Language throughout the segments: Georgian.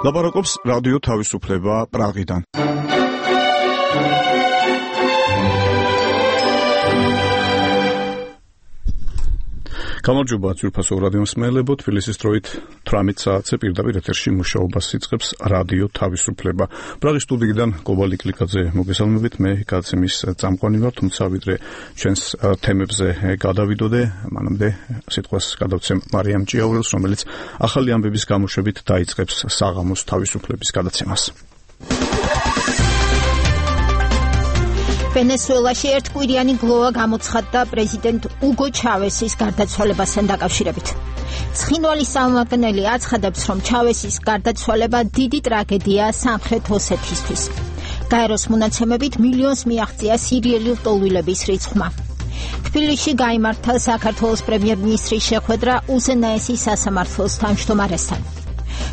ლაპარაკობს რადიო თავისუფლება პრაღიდან. გამარჯობა ძვირფასო რადიო მსმენელებო, თბილისის დროით 18 საათზე პირდაპირ ეთერში მუშაობას იწყებს რადიო თავისუფლება. პრაღის სტუდიიდან გობალ იკლიკაძე მოგესალმებით, მე გადაცემის წამყვანი ვარ, თუმცა ვიდრე ჩვენს თემებზე გადავიდოდე, მანამდე სიტყვას გადავცემ მარიამ ჭიაურელს, რომელიც ახალი ამბების გამოშვებით დაიწყებს საღამოს თავისუფლების გადაცემას. ვენესუელაში ერთკვირიანი გლოვა გამოცხადდა პრეზიდენტ უგო ჩავესის გარდაცვალებასთან დაკავშირებით. ცხინვალი სამმართველი აცხადებს, რომ ჩავესის გარდაცვალება დიდი ტრაგედიაა სამხრეთ ოსეთისთვის. გაეროს მონაცემებით მილიონს მიაღწია სირიელი ლტოლვილების რიცხვმა. თბილისში გაიმართა საქართველოს პრემიერ-მინისტრის შეხვედრა უზენაესის სასამართლოს თავმჯდომარესთან.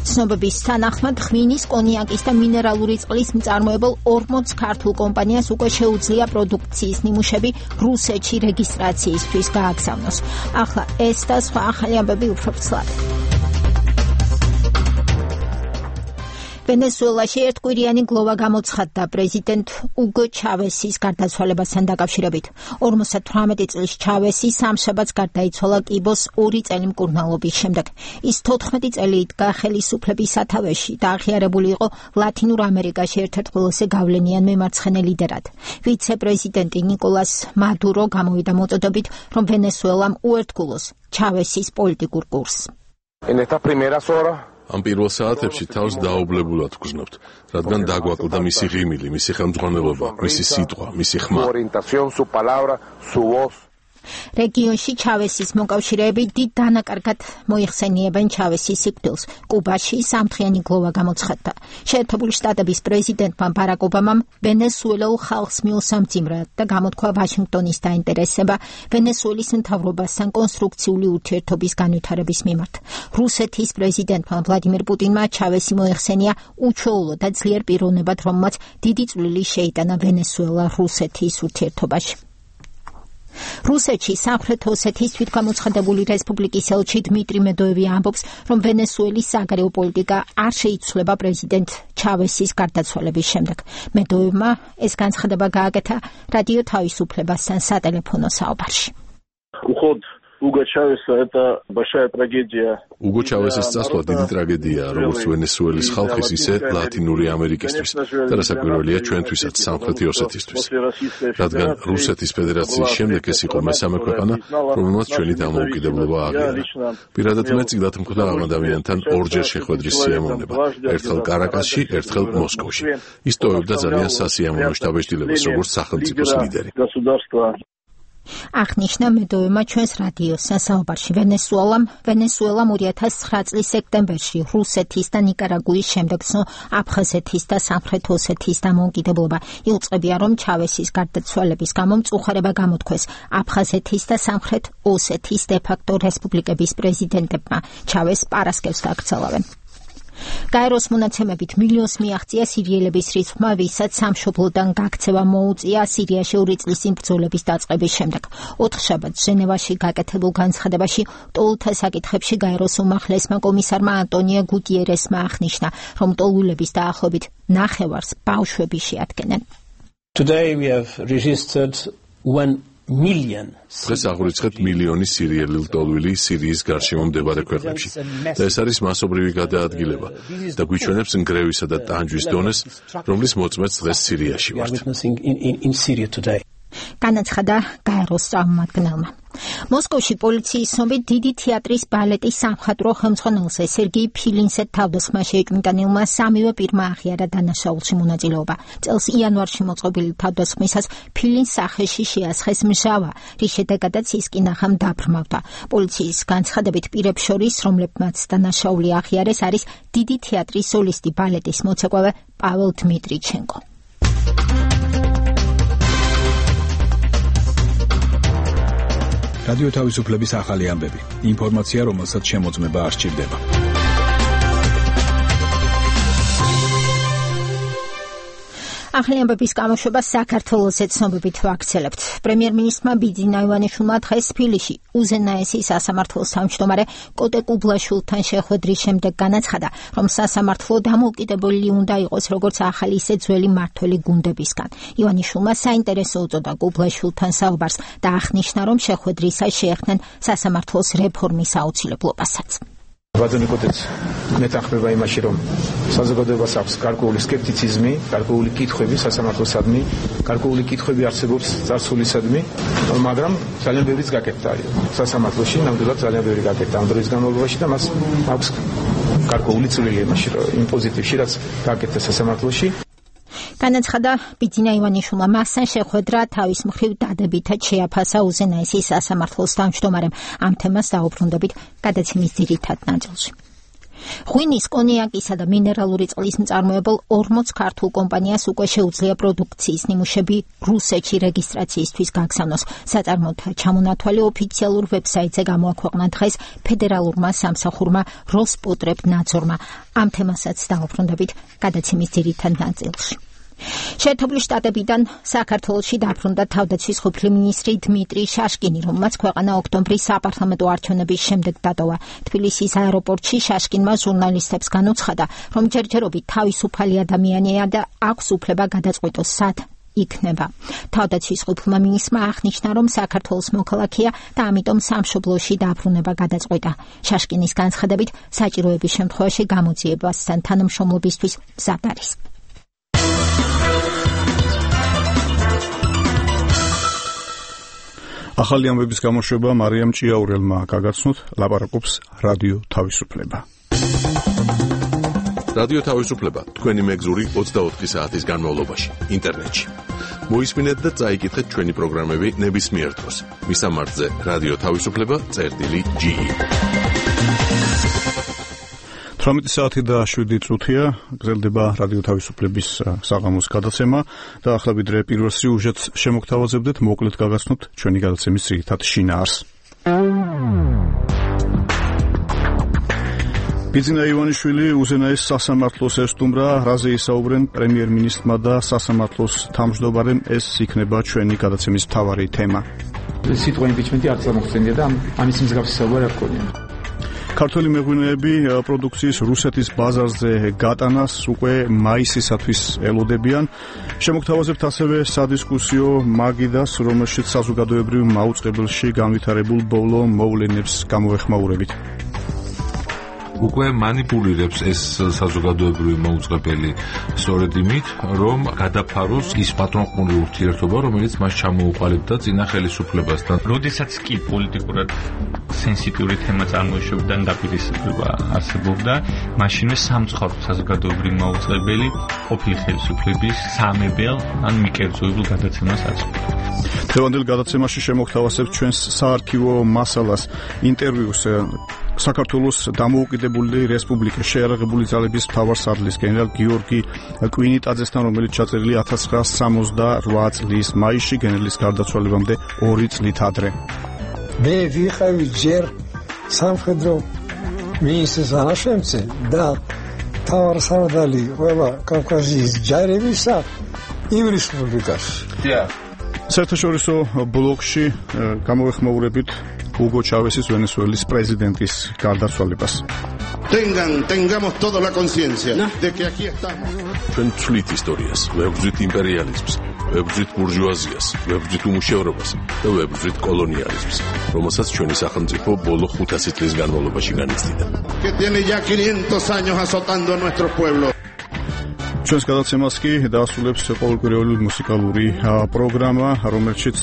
ცნობების თანახმად ღვინის, კონიაკის და მინერალური წყლის მწარმოებელ 40 ქართულ კომპანიას უკვე შეუძლია პროდუქციის ნიმუშები რუსეთში რეგისტრაციისთვის გააგზავნოს. ახლა ეს და სხვა ახალი ამბები უფრო ცალად. ვენესუელაში ერთკვირიანი გლოვა გამოცხადდა პრეზიდენტ უგო ჩავესის გარდაცვალებასთან დაკავშირებით. 58 წლის ჩავესი სამშაბათს გარდაიცვალა კიბოს 2 წელი მკურნალობის შემდეგ. ის 14 წელი იდგა ხელისუფლების სათავეში და აღიარებული იყო ლათინურ ამერიკაში ერთ-ერთ ყველაზე გავლენიან მემარცხენე ლიდერად. ვიცე-პრეზიდენტი ნიკოლას მადურო გამოვიდა მოწოდებით, რომ ვენესუელამ უერთგულოს ჩავესის პოლიტიკურ კურსს. ამ პირველ საათებში თავს დაობლებულად ვგრძნობთ, რადგან დაგვაკლდა მისი ღიმილი, მისი ხელმძღვანელობა, მისი სიტყვა, მისი ხმა. რეგიონში ჩავესის მოკავშირეები დიდ დანაკარგად მოიხსენიებენ ჩავესის სიკვდილს. კუბაში სამთხრიანი გლოვა გამოცხადდა. შეერთებული შტატების პრეზიდენტმა ბარაკ ობამამ ვენესუელელ ხალხს მიუსამძიმრა და გამოთქვა ვაშინგტონის დაინტერესება ვენესუელის მთავრობასთან კონსტრუქციული ურთიერთობის განვითარების მიმართ. რუსეთის პრეზიდენტმა ვლადიმერ პუტინმა ჩავესი მოიხსენია უჩვეულო და ძლიერ პიროვნებად, რომელმაც დიდი წვლილი შეიტანა ვენესუელა-რუსეთის ურთიერთობაში. რუსეთში სამხრეთ ოსეთის თვითგამოცხადებული რესპუბლიკის ელჩი დმიტრი მედოევი ამბობს, რომ ვენესუელის საგარეო პოლიტიკა არ შეიცვლება პრეზიდენტ ჩავესის გარდაცვალების შემდეგ. მედოევმა ეს განცხადება გააკეთა რადიო თავისუფლებასთან სატელეფონო საუბარში. უგო ჩავესის წასვლა დიდი ტრაგედიაა, როგორც ვენესუელის ხალხის, ისე ლათინური ამერიკისთვის და რასაკვირველია ჩვენთვისაც, სამხრეთი ოსეთისთვის. რადგან რუსეთის ფედერაციის შემდეგ ეს იყო მესამე ქვეყანა, რომელმაც ჩვენი დამოუკიდებლობა აღიარა. პირადად მე წილად მქონდა ამ ადამიანთან ორჯერ შეხვედრის სიამოვნება, ერთხელ კარაკასში, ერთხელ მოსკოვში. ის ტოვებდა ძალიან სასიამოვნო შთაბეჭდილებას, როგორც სახელმწიფოს ლიდერი. აღნიშნა მედოევმა ჩვენს რადიოსთან საუბარში. ვენესუელამ 2009 წლის სექტემბერში რუსეთის და ნიკარაგუის შემდეგ აფხაზეთის და სამხრეთ ოსეთის დამოუკიდებლობა. იუწყებია, რომ ჩავესის გარდაცვალების გამო მწუხარება გამოთქვეს აფხაზეთის და სამხრეთ ოსეთის დე-ფაქტო რესპუბლიკების პრეზიდენტებმა. ჩავესს პარასკევს გააგრძელავენ. გაეროს მონაცემებით მილიონს მიაღწია სირიელების რიცხვმა, ვისაც სამშობლოდან გაქცევა მოუწია სირიაში 2 წლის ბრძოლების დაწყების შემდეგ. 4 შაბათს ჟენევაში გაკეთებულ განცხადებაში ლტოლვილთა საკითხებში გაეროს უმაღლესმა კომისარმა ანტონიო გუტიერესმა აღნიშნა, რომ ლტოლვილების დაახლოებით ნახევარს ბავშვები შეადგენენ. Today we have registered 1 million. დღეს აღვიწყებთ მილიონი სირიელი ლტოლვილი სირიის გარშემო მდებარე ქვეყნებში და ეს არის მასობრივი გადაადგილება და გვიჩვენებს ნგრევისა და ტანჯვის დონეს, რომლის მოწმეც დღეს სირიაში ვართ. განაცხადა გაეროს წარმომადგენელმა. მოსკოვში პოლიციის ცნობით დიდი თეატრის ბალეტის სამხატვრო ხელმძღვანელზე სერგეი ფილინსე თავდასხმა შეიჭმიტანილმა სამივე პირმა აღიარა დანაშაულში მონაწილეობა. წელს იანვარში მოწყობილი თავდასხმისას ფილინს სახეში შეასხეს მჟავა, რის შედეგადაც ის კინახამ დაბრმავდა. პოლიციის განცხადებით პირებს შორის, რომლებმაც დანაშაული აღიარეს, არის დიდი თეატრის სოლისტი ბალეტის მოცეკვავე პაველ დმიტრიჩენკო. რადიო თავისუფლების ახალი ამბები. ინფორმაცია, რომელსაც შემოწმება არ სჭირდება. ახალი ამბების გამოშვება საქართველოსაც ცნობებით ვაქცელებთ. პრემიერ-მინისტრმა ბიძინა ივანიშვილმა დღეს თბილისში უზენაესი სასამართლოს თავმჯდომარე კოტე კუბლაშვილთან შეხვედრის შემდეგ განაცხადა, რომ სასამართლო დამოუკიდებელი უნდა იყოს როგორც ახალი ისე ძველი მმართველი გუნდებისგან. ივანიშვილმა საინტერესო უწოდა კუბლაშვილთან საუბარს და აღნიშნა, რომ შეხვედრისას შეეხდნენ სასამართლოს რეფორმის აუცილებლობასაც. ვაძონიკოთაც მეტახმება იმაში, რომ საზოგადოებას აქვს გარკვეული სკეპტიციზმი, გარკვეული კითხვები სასამართლოსადმი, გარკვეული კითხვები არსებობს წარსულისადმი, მაგრამ ძალიან ბევრიც გაკეთდა სასამართლოში, ნამდვილად ძალიან ბევრი გაკეთდა ამ დროის განმავლობაში და მას აქვს გარკვეული წვლილი იმაში, რომ იმ პოზიტივში, რაც გაკეთდა სასამართლოში. განაცხადა ბიძინა ივანიშვილმა მასთან შეხვედრა თავის მხრივ დადებითად შეაფასა უზენაესის სასამართლოს თავმჯდომარემ. ამ თემას დაუბრუნდებით გადაცემის ძირითად ნაწილში. ღვინის, კონიაკისა და მინერალური წყლის მწარმოებელ 40 ქართულ კომპანიას უკვე შეუძლია პროდუქციის ნიმუშები რუსეთში რეგისტრაციისთვის გაგზავნოს. საწარმოთა ჩამონათვალი ოფიციალურ ვებსაიტზე გამოაქვეყნა დღეს ფედერალურმა სამსახურმა როსპოტრებნაძორმა. ამ თემასაც დაუბრუნდებით გადაცემის ძირითად ნაწილში. შეერთებული შტატებიდან საქართველოში დაბრუნდა თავდაცვის ყოფილი მინისტრი დმიტრი შაშკინი, რომელმაც ქვეყანა ოქტომბრის საპარლამენტო არჩევნების შემდეგ დატოვა. თბილისის აეროპორტში შაშკინმა ჟურნალისტებს განუცხადა, რომ ჯერჯერობით თავისუფალი ადამიანია და აქვს უფლება გადაწყვიტოს სად იქნება. თავდაცვის ყოფილმა მინისტრმა აღნიშნა, რომ საქართველოს მოქალაქეა და ამიტომ სამშობლოში დაბრუნება გადაწყვიტა. შაშკინის განცხადებით, საჭიროების შემთხვევაში გამოძიებასთან თანამშრომლობისთვის მზად არის. ახალი ამბების გამოშვება მარიამ ჭიაურელმა გაგაცნოთ, ლაპარაკობს რადიო თავისუფლება. რადიო თავისუფლება თქვენი მეგზური 24 საათის განმავლობაში ინტერნეტში. მოისმინეთ და წაიკითხეთ ჩვენი პროგრამები ნებისმიერ დროს. მისამართზე რადიო თავისუფლება.ge 18 საათი და 7 წუთია გრძელდება რადიო თავისუფლების საღამოს გადაცემა და ახლა ვიდრე პირველ სიუჟეტს შემოგთავაზებდეთ, მოკლედ გაგაცნობთ ჩვენი გადაცემის ძირითად შინაარსს. ბიძინა ივანიშვილი უზენაეს სასამართლოს ესტუმრა, რაზე ისაუბრენ პრემიერ-მინისტრმა და სასამართლოს თავმჯდომარემ, ეს იქნება ჩვენი გადაცემის მთავარი თემა. სიტყვა იმპიჩმენტი არც ამოხსენია და ამის მსგავსი საუბარი არ გქონია. ქართველი მეღვინეები პროდუქციის რუსეთის ბაზარზე გატანას უკვე მაისისათვის ელოდებიან. შემოგთავაზებთ ასევე სადისკუსიო მაგიდას, რომელშიც საზოგადოებრივ მაუწყებელში განვითარებულ ბოლო მოვლენებს გამოეხმაურებით. უკვე манипулირებს ეს საზოგადოებრივი მოუწყებელი სწორედ იმით, რომ გადაფაროს ის პატრონყმული ურთიერთობა, რომელიც მას ჩამოუყალიბდა წინა ხელისუფლებასთან. როდესაც კი პოლიტიკურად სენსიტიური თემა წარმოიშობდა და დაპირისპირება არსებობდა, მაშინვე სამწუხაროდ საზოგადოებრივი მოუწყებელი ყოფილი ხელისუფლების სამებელ ან მიკერძოებულ გადაცემას აწვდიდა. დღევანდელ გადაცემაში შემოგთავაზებთ ჩვენს საარქივო მასალას, ინტერვიუს საქართველოს დამოუკიდებელი რესპუბლიკის შეიარაღებული ძალების მთავარსარდლის გენერალ გიორგი კვინიტაძესთან, რომელიც ჩაწერილი 1968 წლის მაისში, გენერლის გარდაცვალებამდე 2 წლით ადრე. მე ვიყავი ჯერ სამხედრო მინისტრის ანაშემწე და მთავარსარდალი ყველა კავკასიის ჯარებისა იმ რესპუბლიკაში. საერთაშორისო ბლოკში გამოეხმაურებით Hugo Chávez's ვენესუელის პრეზიდენტის გარდაცვალებას. Tengamos toda la conciencia de que aquí estamos. ჩვენ ვცვლით ისტორიას, ვებრძვით იმპერიალიზმს, ვებრძვით ბურჟუაზიას, ვებრძვით უმუშევრობას და ვებრძვით კოლონიალიზმს, რომელსაც ჩვენი სახელმწიფო ბოლო 500 წლის განმავლობაში განიცდიდა. Que tiene ya 500 años azotando a nuestro pueblo. ჩვენს გადაცემას კი დაასრულებს ყოველკვირეული მუსიკალური პროგრამა, რომელშიც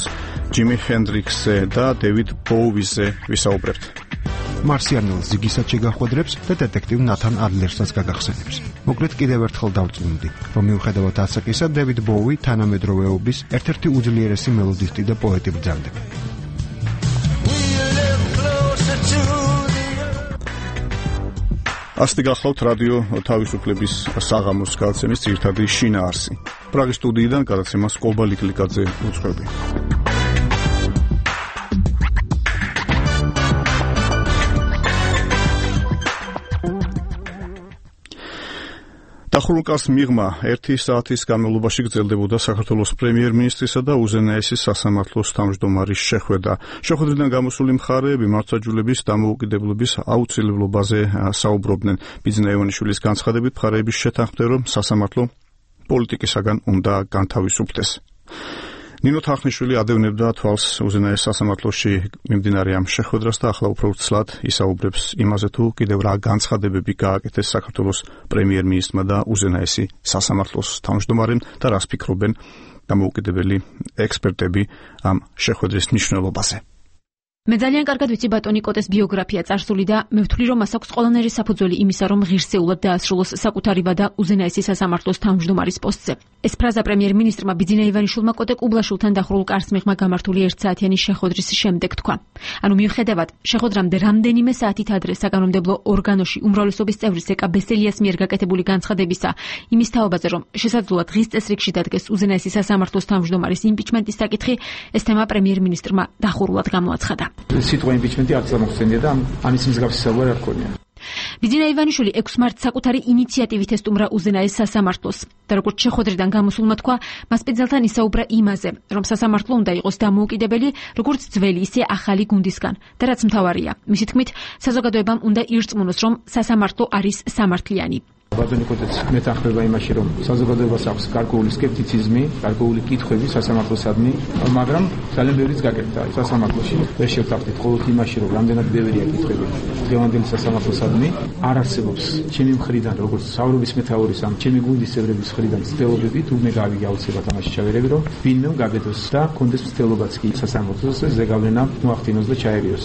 ჯიმი ჰენდრიქსზე და დევიდ ბოუიზე ვისაუბრებთ. მარსიანულ ზიგისაც შეგახვედრებს და დეტექტივ ნათან ადლერსაც გაგახსენებს. მოკლედ კიდევ ერთხელ დავწმუნდი, რომ მიუხედავად ასაკისა, დევიდ ბოუი თანამედროვეობის ერთ-ერთი უძლიერესი მელოდისტი და პოეტი ბრძანდება. ასეთი გახლავთ რადიო თავისუფლების საღამოს გადაცემის ძირითადი შინაარსი. პრაღის სტუდიიდან გადაცემას კობალი კლიკაძე უძღვები. დახურულ მიღმა 1 საათის განმავლობაში გრძელდებოდა საქართველოს პრემიერ-მინისტრისა და უზენაესის სასამართლოს თავმჯდომარის შეხვედრა. შეხვედრიდან გამოსული მხარეები მართლმსაჯულების დამოუკიდებლობის აუცილებლობაზე საუბრობდნენ. ბიძინა ივანიშვილის განცხადებით მხარეების შეთანხმდნენ, რომ სასამართლო პოლიტიკისაგან უნდა განთავისუფლდეს. ნინო თახნიშვილი ადევნებდა თვალს უზენაეს სასამართლოში მიმდინარე ამ შეხვედრას და ახლა უფრო ცლად ისაუბრებს იმაზე, თუ კიდევ რა განცხადებები გააკეთეს საქართველოს პრემიერ-მინისტრმა და უზენაესი სასამართლოს თავმჯდომარემ და რას ფიქრობენ დამოუკიდებელი ექსპერტები ამ შეხვედრის მნიშვნელობაზე. მე ძალიან კარგად ვიცი ბატონი კოტეს ბიოგრაფია წარსული და მე ვთვლი, რომ მას აქვს ყველანაირი საფუძველი იმისა, რომ ღირსეულად დაასრულოს საკუთარი ვადა უზენაესი სასამართლოს თავმჯდომარის პოსტზე. ეს ფრაზა პრემიერ-მინისტრმა ბიძინა ივანიშვილმა კოტე კუბლაშვილთან დახურულ კარს მიღმა გამართული 1 საათიანი შეხვედრის შემდეგ თქვა. ანუ მიუხედავად შეხვედრამდე რამდენიმე საათით ადრე საკანონმდებლო ორგანოში უმრავლესობის წევრის ეკა ბესელიას მიერ გაკეთებული განცხადებისა იმის თაობაზე, რომ შესაძლოა დღის წესრიგში დადგეს უზენაესი სასამართლოს თავმჯდომარის იმპიჩმენტის საკითხი, ეს თემა პრემიერ-მინისტრმა დახურულად გამოაცხადა. სიტყვა იმპიჩმენტი არც ამოხსენია და ამის მსგავსი საუბარი არ ქონია. ბიძინა ივანიშვილი 6 მარტს საკუთარი ინიციატივით ესტუმრა უზენაეს სასამართლოს და როგორც შეხვედრიდან გამოსულმა თქვა, მას სპეციალთან ისაუბრა იმაზე, რომ სასამართლო უნდა იყოს დამოუკიდებელი როგორც ძველი, ისე ახალი გუნდისგან და რაც მთავარია, მისი თქმით, საზოგადოებამ უნდა ირწმუნოს, რომ სასამართლო არის სამართლიანი. ბატონი კოტეც მეთანხმება იმაში, რომ საზოგადოებას აქვს გარკვეული სკეპტიციზმი, გარკვეული კითხვები სასამართლოსადმი, მაგრამ ძალიან ბევრიც გაკეთდა სასამართლოში. ვერ შევთანხმდით მხოლოდ იმაში, რომ რამდენად ბევრია კითხვები დღევანდელი სასამართლოსადმი, არ არსებობს ჩემი მხრიდან, როგორც საუბრობის მეთაურის ან ჩემი გუნდის წევრების მხრიდან ცდილობები, თუ მე გავიგე აუცილებლად ამაში ჩავერები, რომ ვინმე გაგედოს და კონდეს ცდილობაც კი სასამართლოს ზეგავლენა მოახდინოს და ჩაერიოს.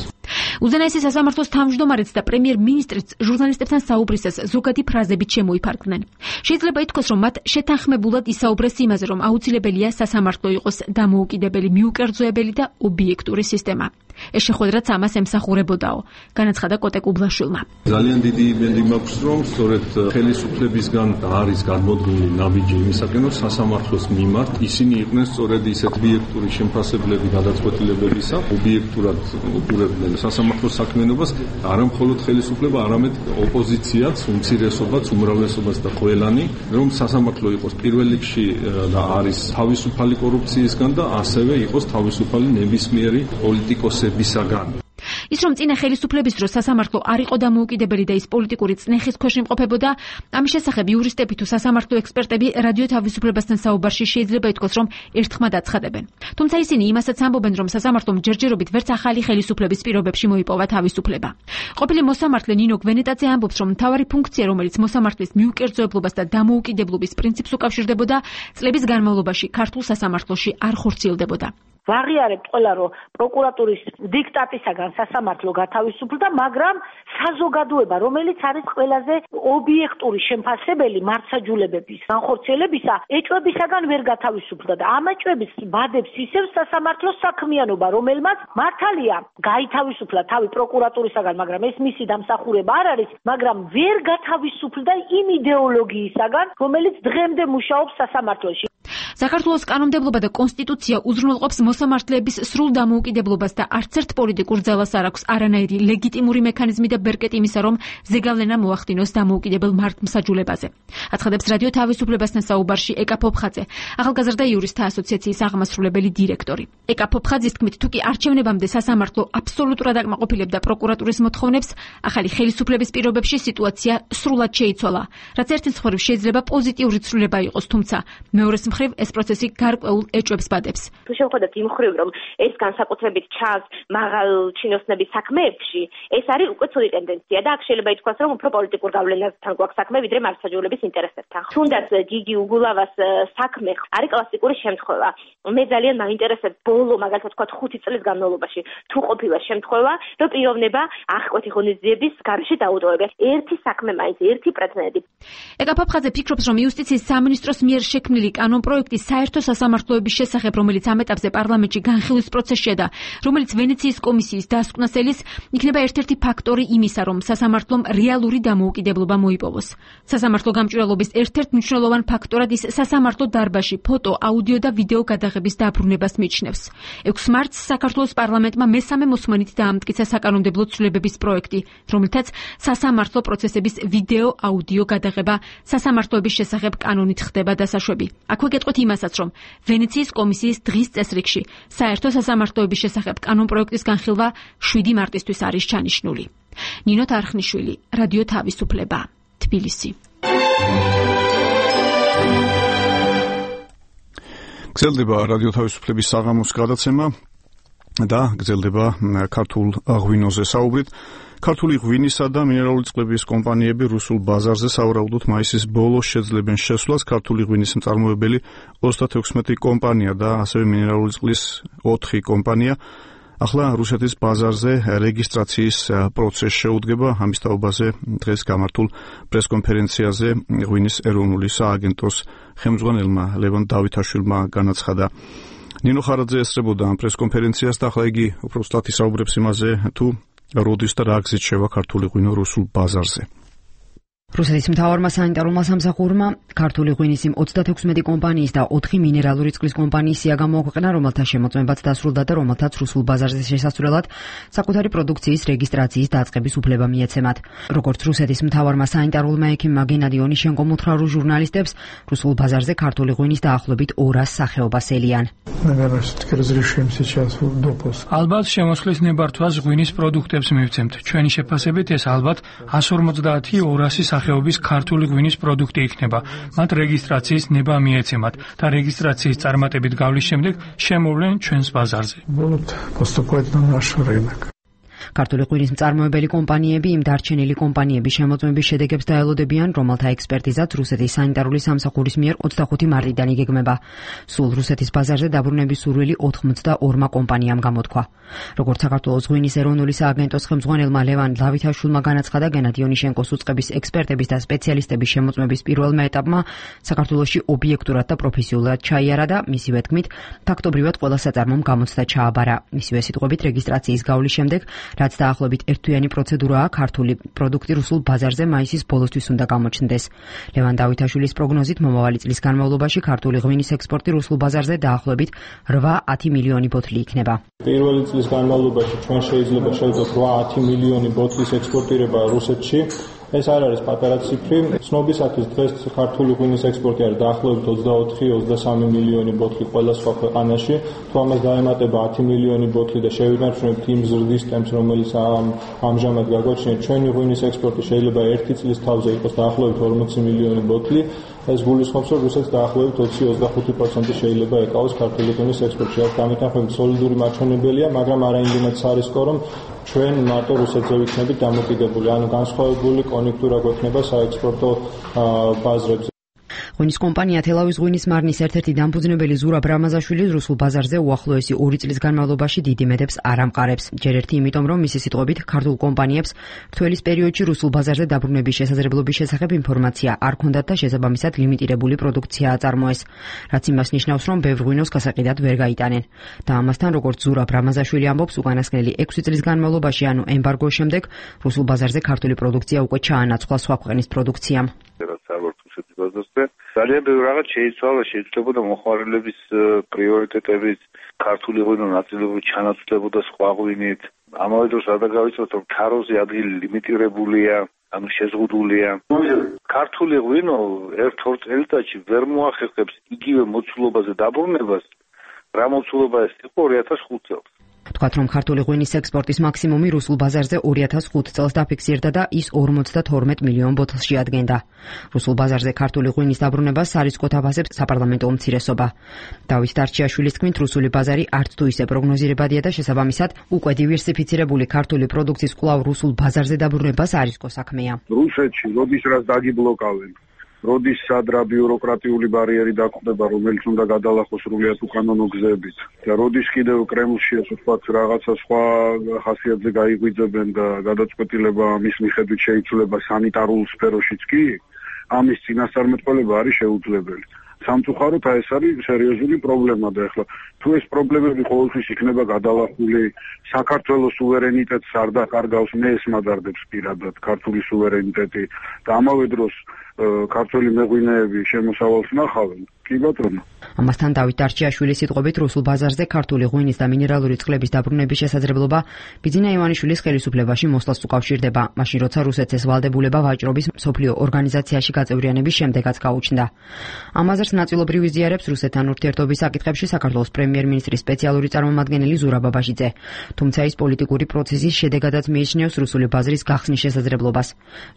უზენაესი სასამართლოს თავმჯდომარეც და პრემიერ-მინისტრიც ჟურნალისტებთან საუბრისას ზოგადი ფრაზებით შემოიფარგლნენ. შეიძლება ითქვას, რომ მათ შეთანხმებულად ისაუბრეს იმაზე, რომ აუცილებელია სასამართლო იყოს დამოუკიდებელი, მიუკერძოებელი და ობიექტური სისტემა. ეს შეხვედრაც ამას ემსახურებოდაო, განაცხადა კოტე კუბლაშვილმა. ძალიან დიდი იმედი მაქვს, რომ სწორედ ხელისუფლებისგან არის გადმოდგმული ნაბიჯი იმისაკენ, რომ სასამართლოს მიმართ ისინი იყვნენ სწორედ ისეთ ობიექტური შემფასებლები გადაწყვეტილებებისა, ობიექტურად უყურებდნენ სასამართლოს საქმიანობას, არა მხოლოდ ხელისუფლება, არამედ ოპოზიციაც, უმცირესობაც, უმრავლესობაც და ყველანი, რომ სასამართლო იყოს პირველ რიგში და არის თავისუფალი კორუფციისგან და ასევე იყოს თავისუფალი ნებისმიერი პოლიტიკოსებისაგან. ის რომ წინა ხელისუფლების დროს სასამართლო არ იყო დამოუკიდებელი და ის პოლიტიკური წნეხის ქვეშ იმყოფებოდა, ამის შესახებ იურისტები თუ სასამართლო ექსპერტები რადიო თავისუფლებასთან საუბარში შეიძლება ითქვას, რომ ერთხმად აცხადებენ. თუმცა ისინი იმასაც ამბობენ, რომ სასამართლომ ჯერჯერობით ვერც ახალი ხელისუფლების პირობებში მოიპოვა თავისუფლება. ყოფილი მოსამართლე ნინო გვენეტაძე ამბობს, რომ მთავარი ფუნქცია, რომელიც მოსამართლის მიუკერძოებლობას და დამოუკიდებლობის პრინციპს უკავშირდებოდა, წლების განმავლობაში ქართულ სასამართლოში არ ხორციელდებოდა. ვაღიარებთ ყველა, რომ პროკურატურის დიქტატისაგან სასამართლო გათავისუფლდა, მაგრამ საზოგადოება, რომელიც არის ყველაზე ობიექტური შემფასებელი მართლმსაჯულებების განხორციელებისა, ეჭვებისაგან ვერ გათავისუფლდა და ამ ეჭვების ბადებს ისევ სასამართლოს საქმიანობა, რომელმაც მართალია გაითავისუფლა თავი პროკურატურისაგან, მაგრამ ეს მისი დამსახურება არ არის, მაგრამ ვერ გათავისუფლდა იმ იდეოლოგიისაგან, რომელიც დღემდე მუშაობს სასამართლოში. საქართველოს კანონმდებლობა და კონსტიტუცია უზრუნველყოფს მოსამართლეების სრულ დამოუკიდებლობას და არც ერთ პოლიტიკურ ძალას არ აქვს არანაირი ლეგიტიმური მექანიზმი და ბერკეტი იმისა, რომ ზეგავლენა მოახდინოს დამოუკიდებელ მართლმსაჯულებაზე. აცხადებს რადიო თავისუფლებასთან საუბარში ეკა ფოფხაძე, ახალგაზრდა იურისტთა ასოციაციის აღმასრულებელი დირექტორი. ეკა ფოფხაძის თქმით, თუ კი არჩევნებამდე სასამართლო აბსოლუტურად აკმაყოფილებდა პროკურატურის მოთხოვნებს, ახალი ხელისუფლების პირობებში სიტუაცია სრულად შეიცვალა, რაც ერთი მხრივ შეიძლება პოზიტიური ცვლილება იყოს, თუმცა მეორეს მხრივ ეს პროცესი გარკვეულ ეჭვებს ბადებს. თუ შევხედოთ იმ მხრივ, რომ ეს განსაკუთრებით ჩანს მაღალ ჩინოსნების საქმეებში, ეს არის უკვე ცუდი ტენდენცია და აქ შეიძლება ითქვას, რომ უფრო პოლიტიკურ გავლენასთან გვაქვს საქმე, ვიდრე მართლმსაჯულების ინტერესებთან. თუნდაც გიგი უგულავას საქმე არის კლასიკური შემთხვევა. მე ძალიან მაინტერესებს ბოლო, მაგალითად ვთქვათ, 5 წლის განმავლობაში თუ ყოფილა შემთხვევა, რომ პიროვნება აღკვეთი ღონისძიების გარეშე დაუტოვებია. ერთი საქმე მაინც, ერთი პრეცედენტი. ეკა ფოფხაძე ფიქრობს, რომ იუსტიციის სამინისტროს მიერ შექმნილი კანონმდებლობა კანონპროექტი საერთო სასამართლოების შესახებ, რომელიც ამ ეტაპზე პარლამენტში განხილვის პროცესშია და რომელიც ვენეციის კომისიის დასკვნას ელის, იქნება ერთ-ერთი ფაქტორი იმისა, რომ სასამართლომ რეალური დამოუკიდებლობა მოიპოვოს. სასამართლო გამჭვირვალობის ერთ-ერთ მნიშვნელოვან ფაქტორად ის სასამართლო დარბაზში ფოტო, აუდიო და ვიდეო გადაღების დაბრუნებას მიიჩნევს. 6 მარტს საქართველოს პარლამენტმა მესამე მოსმენით დაამტკიცა საკანონმდებლო ცვლილებების პროექტი, რომლითაც სასამართლო პროცესების ვიდეო, აუდიო გადაღება სასამართლოების შესახებ კანონით ხდება დასაშვები. აქვე გეტყვით იმასაც, რომ ვენეციის კომისიის დღის წესრიგში საერთო სასამართლოების შესახებ კანონპროექტის განხილვა 7 მარტისთვის არის ჩანიშნული. ნინო თარხნიშვილი, რადიო თავისუფლება, თბილისი. გრძელდება რადიო თავისუფლების საღამოს გადაცემა და გრძელდება ქართულ ღვინოზე საუბრით. ქართული ღვინისა და მინერალური წყლების კომპანიები რუსულ ბაზარზე სავარაუდოდ მაისის ბოლოს შეძლებენ შესვლას. ქართული ღვინის მწარმოებელი 36 კომპანია და ასევე მინერალური წყლის 4 კომპანია ახლა რუსეთის ბაზარზე რეგისტრაციის პროცესს შეუდგება. ამის თაობაზე დღეს გამართულ პრესკონფერენციაზე ღვინის ეროვნული სააგენტოს ხელმძღვანელმა ლევან დავითაშვილმა განაცხადა. ნინო ხარაძე ესწრებოდა ამ პრესკონფერენციას და ახლა იგი უფრო სწრაფად ისაუბრებს იმაზე, თუ როდის და რა გზით შევა ქართული ღვინო რუსულ ბაზარზე. რუსეთის მთავარმა სანიტარულმა სამსახურმა ქართული ღვინის იმ 36 კომპანიის და 4 მინერალური წყლის კომპანიის სია გამოაქვეყნა, რომელთა შემოწმებაც დასრულდა და რომელთაც რუსულ ბაზარზე შესასვლელად საკუთარი პროდუქციის რეგისტრაციის დაწყების უფლება მიეცემათ. როგორც რუსეთის მთავარმა სანიტარულმა ექიმმა გენადი ონიშენკომ უთხრა ჟურნალისტებს, რუსულ ბაზარზე ქართული ღვინის დაახლოებით 200 სახეობას ელიან. ალბათ შემოსვლის ნებართვას ღვინის პროდუქტებს მივცემთ. ჩვენი შეფასებით ეს ალბათ 150-200 სახეობის ქართული ღვინის პროდუქტი იქნება. მათ რეგისტრაციის ნება მიეცემათ და რეგისტრაციის წარმატებით გავლის შემდეგ შემოვლენ ჩვენს ბაზარზე. ქართული ღვინის მწარმოებელი კომპანიები იმ დარჩენილი კომპანიების შემოწმების შედეგებს დაელოდებიან, რომელთა ექსპერტიზაც რუსეთის სანიტარული სამსახურის მიერ 25 მარტიდან იგეგმება. სულ რუსეთის ბაზარზე დაბრუნების სურვილი 82 კომპანიამ გამოთქვა. როგორც საქართველოს ღვინის ეროვნული სააგენტოს ხელმძღვანელმა ლევან დავითაშვილმა განაცხადა, გენადი ონიშენკოს უწყების ექსპერტების და სპეციალისტების შემოწმების პირველმა ეტაპმა საქართველოში ობიექტურად და პროფესიულად ჩაიარა და მისივე თქმით, ფაქტობრივად ყველა საწარმომ გამოცდა ჩააბარა. მისივე სიტყვებით რეგისტრაციის გავლის შემდეგ რაც დაახლოებით ერთთვიანი პროცედურაა, ქართული პროდუქტი რუსულ ბაზარზე მაისის ბოლოსთვის უნდა გამოჩნდეს. ლევან დავითაშვილის პროგნოზით მომავალი წლის განმავლობაში ქართული ღვინის ექსპორტი რუსულ ბაზარზე დაახლოებით 8-10 მილიონი ბოთლი იქნება. პირველი წლის განმავლობაში ჩვენ შეიძლება შევძლოთ 8-10 მილიონი ბოთლის ექსპორტირება რუსეთში. ეს არ არის პატარა ციფრი. ცნობისათვის დღეს ქართული ღვინის ექსპორტი არის დაახლოებით 24-23 მილიონი ბოთლი ყველა სხვა ქვეყანაში. თუ ამას დაემატება 10 მილიონი ბოთლი და შევინარჩუნებთ იმ ზრდის ტემპს, რომელიც ამჟამად გაგვაჩნია, ჩვენი ღვინის ექსპორტი შეიძლება ერთი წლის თავზე იყოს დაახლოებით 40 მილიონი ბოთლი. ეს გულისხმობს, რომ რუსეთს დაახლოებით 20-25% შეიძლება ეკავოს ქართული ღვინის ექსპორტში. აქ გამეთანხმებით სოლიდური მაჩვენებელია, მაგრამ არა იმდენად სარისკო, რომ ჩვენ მარტო რუსეთზე ვიქნებით დამოკიდებული, ანუ განსხვავებული კონექტურა გვექნება საექსპორტო ბაზრებზე. ღვინის კომპანია თელავის ღვინის მარნის ერთ-ერთი დამფუძნებელი ზურაბ რამაზაშვილი რუსულ ბაზარზე უახლოესი 2 წლის განმავლობაში დიდი მედებს არ ამყარებს. ჯერ ერთი იმიტომ, რომ მისი სიტყვებით ქართულ კომპანიებს რთველის პერიოდში რუსულ ბაზარზე დაბრუნების შესაძლებლობის შესახებ ინფორმაცია არ ჰქონდათ და შესაბამისად ლიმიტირებული პროდუქცია აწარმოეს. რაც იმას ნიშნავს, რომ ბევრ ღვინოს გასაყიდად ვერ გაიტანენ. და ამასთან, როგორც ზურაბ რამაზაშვილი ამბობს, უკანასკნელი 6 წლის განმავლობაში, ანუ ემბარგოს შემდეგ, რუსულ ბაზარზე ქართული პროდუქცია უკვე ჩაანაცვლა სხვა ქვეყნის პროდუქციამ. ძალიან ბევრი რაღაც შეიცვალა, შეიძლებოდა მოხმარებლების პრიორიტეტების ქართული ღვინო ნაწილობრივ ჩანაცვლებოდა სხვა ღვინით. ამავე დროს არ დაგავიწყოთ, რომ თაროზე ადგილი ლიმიტირებულია, ანუ შეზღუდულია. ქართული ღვინო 1-2 წელიწადში ვერ მოახერხებს იგივე მოცულობაზე დაბრუნებას, რა მოცულობა ეს იყო 2005 წელს. თქვათ, რომ ქართული ღვინის ექსპორტის მაქსიმუმი რუსულ ბაზარზე 2005 წელს დაფიქსირდა და ის 52 მილიონ ბოთლში ადგენდა. რუსულ ბაზარზე ქართული ღვინის დაბრუნებას სარისკოდ აფასებს საპარლამენტო უმცირესობა. დავით დარჩიაშვილის თქმით, რუსული ბაზარი არც თუ ისე პროგნოზირებადია და შესაბამისად უკვე დივერსიფიცირებული ქართული პროდუქციის კვლავ რუსულ ბაზარზე დაბრუნებას არისკო საქმეა. რუსეთში როდის რაც დაგიბლოკავენ, როდის სადრა ბიუროკრატიული ბარიერი დაგვხდება, რომელიც უნდა გადალახოს სრულიად უკანონო გზებით და როდის კიდევ კრემლში ასე ვთქვათ რაღაცა სხვა ხასიათზე გაიღვიძებენ და გადაწყვეტილება მის მიხედვით შეიცვლება სანიტარულ სფეროშიც კი, ამის წინასწარმეტყველება არის შეუძლებელი. სამწუხაროდ ეს არის სერიოზული პრობლემა და ეხლა თუ ეს პრობლემები ყოველთვის იქნება გადალახული საქართველოს სუვერენიტეტს არ დაკარგავს მე ეს მადარდებს პირადად ქართული სუვერენიტეტი და ამავე დროს ქართული მეღვინეები შემოსავალს ნახავენ კი ბატონო ამასთან დავით დარჩიაშვილის სიტყვებით რუსულ ბაზარზე ქართული ღვინის და მინერალური წყლების დაბრუნების შესაძლებლობა ბიძინა ივანიშვილის ხელისუფლებაში მოსვლას უკავშირდება მაშინ როცა რუსეთს ეს ვალდებულება ვაჭრობის მსოფლიო ორგანიზაციაში გაწევრიანების შემდეგაც გაუჩნდა ამაზრს ნაწილობრივ იზიარებს რუსეთთან ურთიერთობის საკითხებში საქართველოს პრემიერ-მინისტრის სპეციალური წარმომადგენელი ზურაბ აბაშიძე თუმცა ის პოლიტიკური პროცესის შედეგადაც მიიჩნევს რუსული ბაზრის გახსნის შესაძლებლობას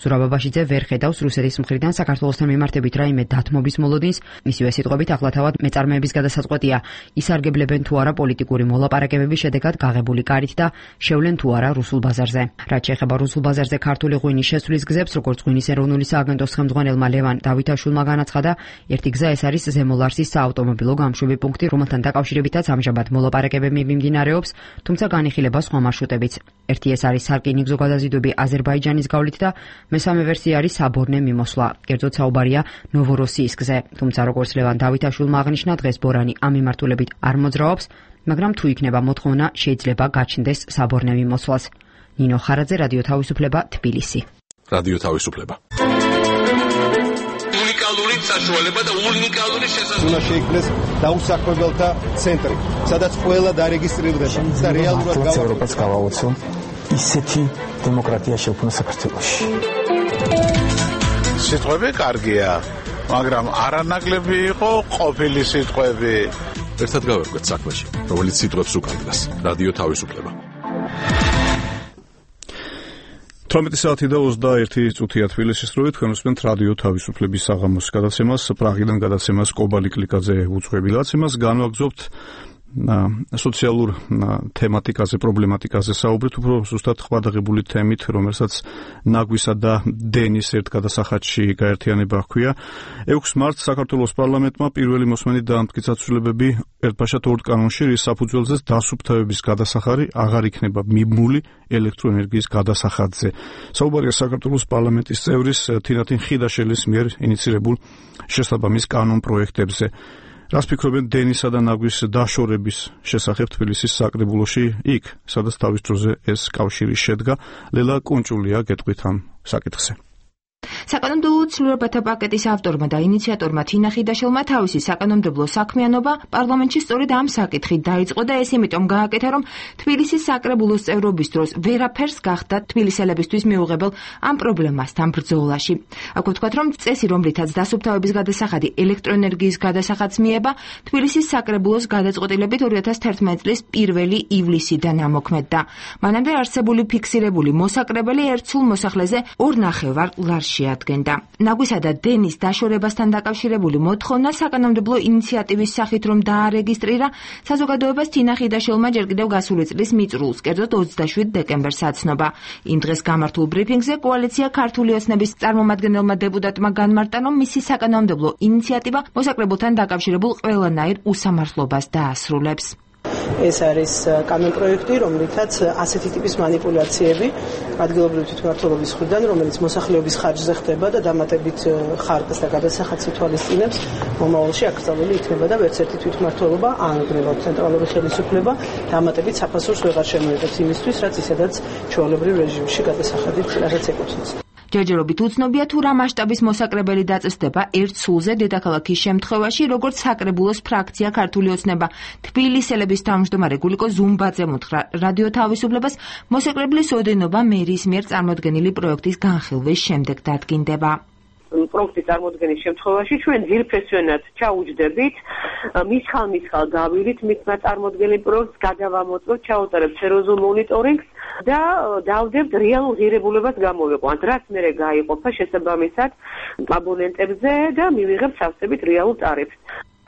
ზურაბ აბაშიძე ვერ ხედავს რუსეთის მხრიდან საქართველოსთან მიმართებით რაიმე დათმობის მოლოდინს მისივე სიტყვებით ახლა თავად მეწარმეების გადასაწყვეტია ისარგებლებენ თუ არა პოლიტიკური მოლაპარაკებების შედეგად გაღებული კარით და შევლენ თუ არა რუსულ ბაზარზე რაც შეეხება რუსულ ბაზარზე ქართული ღვინის შესვლის გზებს როგორც ღვინის ეროვნული სააგენტოს ხელმძღვანელმა ლევან დავითაშვილმა განაცხადა ერთი გზა ეს არის ზემოლარსის საავტომობილო გამშვები პუნქტი რომელთან დაკავშირებითაც ამჟამად მოლაპარაკებები მიმდინარეობს თუმცა განიხილება სხვა მარშრუტებიც ერთი ეს არის სარკინიგზო გადაზიდვები აზერბაიჯანის გავლით და მესამე ვერსია არის საბორნე მიმოსვლა კერძოდ საუბარია ნოვოროსიის გზაზე თუმცა როგორც ლევან დავითაშვილმა აღნიშნა დღეს ბორანი ამ მიმართულებით არ მოძრაობს მაგრამ თუ იქნება მოთხოვნა შეიძლება გაჩნდეს საბორნე მიმოსვლას ნინო ხარაძე რადიო თავისუფლება თბილისი რადიო თავისუფლება უნიკალური საშუალება და უნიკალური შესაძლებლობა უნდა შეიქმნეს დაუსაქმებელთა ცენტრი სადაც ყველა დარეგისტრირდება და რეალურად ევროპას გავაოცო ისეთი დემოკრატია შექმნა საქართველოში სიტყვები კარგია მაგრამ არანაკლები იყო ყოფილი სიტყვები ერთად გავერკვეთ საქმეში რომელიც სიტყვებს უკავშირდება რადიო თავისუფლება 18 საათი და 21 წუთია თბილისის დროით თქვენ უსმენთ რადიო თავისუფლების საღამოს გადაცემას პრაღიდან გადაცემას კობალი კლიკაძე უძღვები ლაცემას განვაგრძობთ სოციალურ თემატიკაზე, პრობლემატიკაზე საუბრით, უფრო ზუსტად ხვადაღებული თემით, რომელსაც ნაგვისა და დენის ერთ გადასახადში გაერთიანება ჰქვია. 6 მარტს საქართველოს პარლამენტმა პირველი მოსმენით დაამტკიცა ცვლილებები ერთბაშად ორ კანონში, რის საფუძველზეც დასუფთავების გადასახადი აღარ იქნება მიბმული ელექტროენერგიის გადასახადზე. საუბარია საქართველოს პარლამენტის წევრის თინათინ ხიდაშელის მიერ ინიცირებულ შესაბამის კანონ პროექტებზე. რას ფიქრობენ დენისა და ნაგვის დაშორების შესახებ თბილისის საკრებულოში იქ, სადაც თავის დროზე ეს კავშირი შედგა, ლელა კუნჭულია გეტყვით ამ საკითხზე. საკანონმდებლო ცვლილებათა პაკეტის ავტორმა და ინიციატორმა თინა ხიდაშელმა თავისი საკანონმდებლო საქმიანობა პარლამენტში სწორედ ამ საკითხით დაიწყო და ეს იმიტომ გააკეთა, რომ თბილისის საკრებულოს წევრობის დროს ვერაფერს გახდა თბილისელებისთვის მიუღებელ ამ პრობლემასთან ბრძოლაში. აქ ვთქვათ, რომ წესი, რომლითაც დასუფთავების გადასახადი ელექტროენერგიის გადასახადს მიება, თბილისის საკრებულოს გადაწყვეტილებით 2011 წლის 1 ივლისიდან ამოქმედდა. მანამდე არსებული ფიქსირებული მოსაკრებელი ერთ სულ მოსახლეზე 2.5 ლარს შეადგენდა. ნაგვისა და დენის დაშორებასთან დაკავშირებული მოთხოვნა საკანონმდებლო ინიციატივის სახით რომ დაარეგისტრირა საზოგადოებას თინა ხიდაშელმა ჯერ კიდევ გასული წლის მიწრულს, კერძოდ 27 დეკემბერს აცნობა. იმ დღეს გამართულ ბრიფინგზე კოალიცია ქართული ოცნების წარმომადგენელმა დეპუტატმა განმარტა, რომ მისი საკანონმდებლო ინიციატივა მოსაკრებულთან დაკავშირებულ ყველანაირ უსამართლობას დაასრულებს. ეს არის კანონპროექტი, რომლითაც ასეთი ტიპის манипуляციები ადგილობრივი თვითმმართველობის მხრიდან, რომელიც მოსახლეობის ხარჯზე ხდება და დამატებით ხარკს და გადასახადს ითვალისწინებს, მომავალში აკრძალული იქნება და ვერც ერთი თვითმმართველობა ან უბრალოდ ცენტრალური ხელისუფლება დამატებით საფასურს ვეღარ შემოიღებს იმისთვის, რაც ისედაც ჩვეულებრივ რეჟიმში გადასახადით რასაც ეკუთვნის. ჯერჯერობით უცნობია თუ რა მასშტაბის მოსაკრებელი დაწესდება ერთ სულზე დედაქალაქის შემთხვევაში, როგორც საკრებულოს ფრაქცია ქართული ოცნება თბილისელების თავმჯდომარე გულიკო ზუმბაძემ უთხრა რადიო თავისუფლებას, მოსაკრებლის ოდენობა მერის მიერ წარმოდგენილი პროექტის განხილვის შემდეგ დადგინდება. პროექტის წარმოდგენის შემთხვევაში ჩვენ ძირფესვენად ჩაუჯდებით, მისხალ გავივლით მისმა წარმოდგენილ პროექტს, გადავამოწმოთ, ჩაუტარებთ სერიოზულ მონიტორინგს და დავდებთ რეალურ ღირებულებას გამოვიყვანთ, რაც მერე გაიყოფა შესაბამისად აბონენტებზე და მივიღებთ სავსებით რეალურ ტარიფს.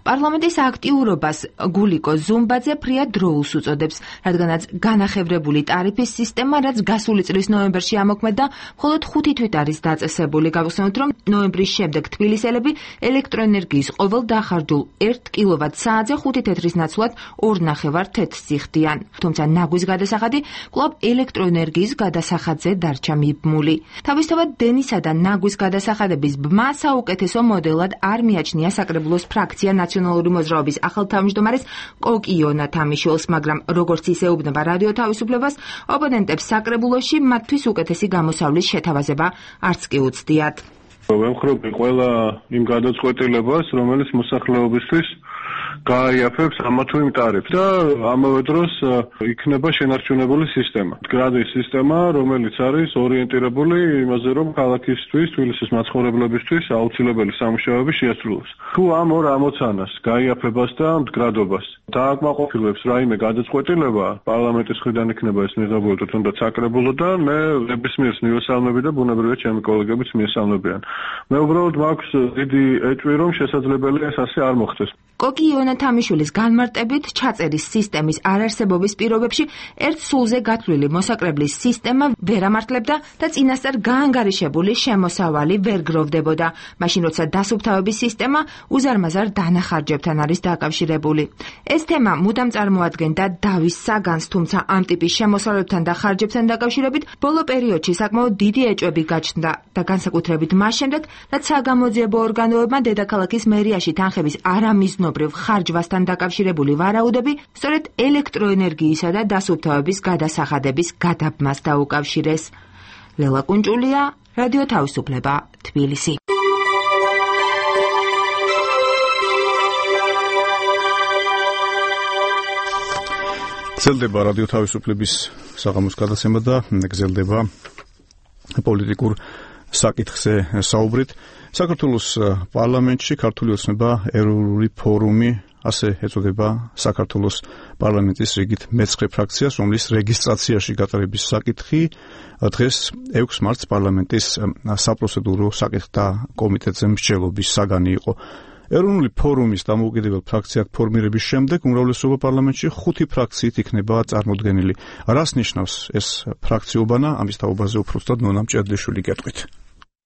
პარლამენტის აქტიურობას გულიკო ზუმბაძე ფრიად დროულს უწოდებს, რადგანაც განახევრებული ტარიფის სისტემა, რაც გასული წლის ნოემბერში ამოქმედა, მხოლოდ 5 თვით არის დაწესებული. გავხსენოთ, რომ ნოემბრის შემდეგ თბილისელები ელექტროენერგიის ყოველ დახარჯულ 1 კილოვატ-საათზე 5 თეთრის ნაცვლად 2.5 თეთრს იხდიან. თუმცა ნაგვის გადასახადი კვლავ ელექტროენერგიის გადასახადზე დარჩა მიბმული. თავისთავად დენისა და ნაგვის გადასახადების ბმა საუკეთესო მოდელად არ მიაჩნია საკრებულოს ფრაქცია ნაციონალური მოძრაობის ახალ თავმჯდომარეს კოკიონა თამიშვილს, მაგრამ როგორც ის ეუბნება რადიო თავისუფლებას, ოპონენტებს საკრებულოში მათთვის უკეთესი გამოსავლის შეთავაზება არც კი უცდიათ. ვემხრობი ყველა იმ გადაწყვეტილებას, რომელიც მოსახლეობისთვის გააიაფებს ამა თუ იმ ტარიფს და ამავე დროს იქნება შენარჩუნებული სისტემა. მდგრადი სისტემა, რომელიც არის ორიენტირებული იმაზე, რომ ქალაქისთვის, თბილისის მაცხოვრებლებისთვის აუცილებელი სამუშაოები შეასრულოს. თუ ამ ორ ამოცანას, გაიაფებას და მდგრადობას დააკმაყოფილებს რაიმე გადაწყვეტილება, პარლამენტის მხრიდან იქნება ეს მიღებული თუნდაც საკრებულოდან, მე ნებისმიერ მიესალმები და ბუნებრივია ჩემი კოლეგებიც მიესალმებიან. მე უბრალოდ მაქვს დიდი ეჭვი, რომ შესაძლებელია ეს ასე არ მოხდეს. კოკიონა თამიშვილის განმარტებით ჩაწერის სისტემის არარსებობის პირობებში ერთ სულზე გათვლილი მოსაკრებლის სისტემა ვერ ამართლებდა და წინასწარ გაანგარიშებული შემოსავალი ვერ გროვდებოდა. მაშინ როცა დასუფთავების სისტემა უზარმაზარ დანახარჯებთან არის დაკავშირებული. ეს თემა მუდამ წარმოადგენდა დავის საგანს, თუმცა ამ ტიპის შემოსავლებთან და ხარჯებთან დაკავშირებით ბოლო პერიოდში საკმაოდ დიდი ეჭვები გაჩნდა და განსაკუთრებით მას შემდეგ, რაც საგამოძიებო ორგანოებმა დედაქალაქის მერიაში თანხების არამიზნობრივ ხარჯვასთან დაკავშირებული ვარაუდები სწორედ ელექტროენერგიისა და დასუფთავების გადასახადების გადაბმას დაუკავშირეს. ლელა კუნჭულია, რადიო თავისუფლება, თბილისი. გრძელდება რადიო თავისუფლების საღამოს გადაცემა და გრძელდება პოლიტიკურ საკითხზე საუბრით. საქართველოს პარლამენტში ქართული ოცნება ეროვნული ფორუმი, ასე ეწოდება საქართველოს პარლამენტის რიგით მე-9 ფრაქციას, რომლის რეგისტრაციაში გატარების საკითხი დღეს 6 მარტს პარლამენტის საპროცედურო საკითხთა კომიტეტზე მსჯელობის საგანი იყო. ეროვნული ფორუმის დამოუკიდებელ ფრაქციად ფორმირების შემდეგ უმრავლესობა პარლამენტში 5 ფრაქციით იქნება წარმოდგენილი. რას ნიშნავს ეს ფრაქციობანა? ამის თაობაზე უფრო სწორად ნონა მჭედლიშვილი გეტყვით.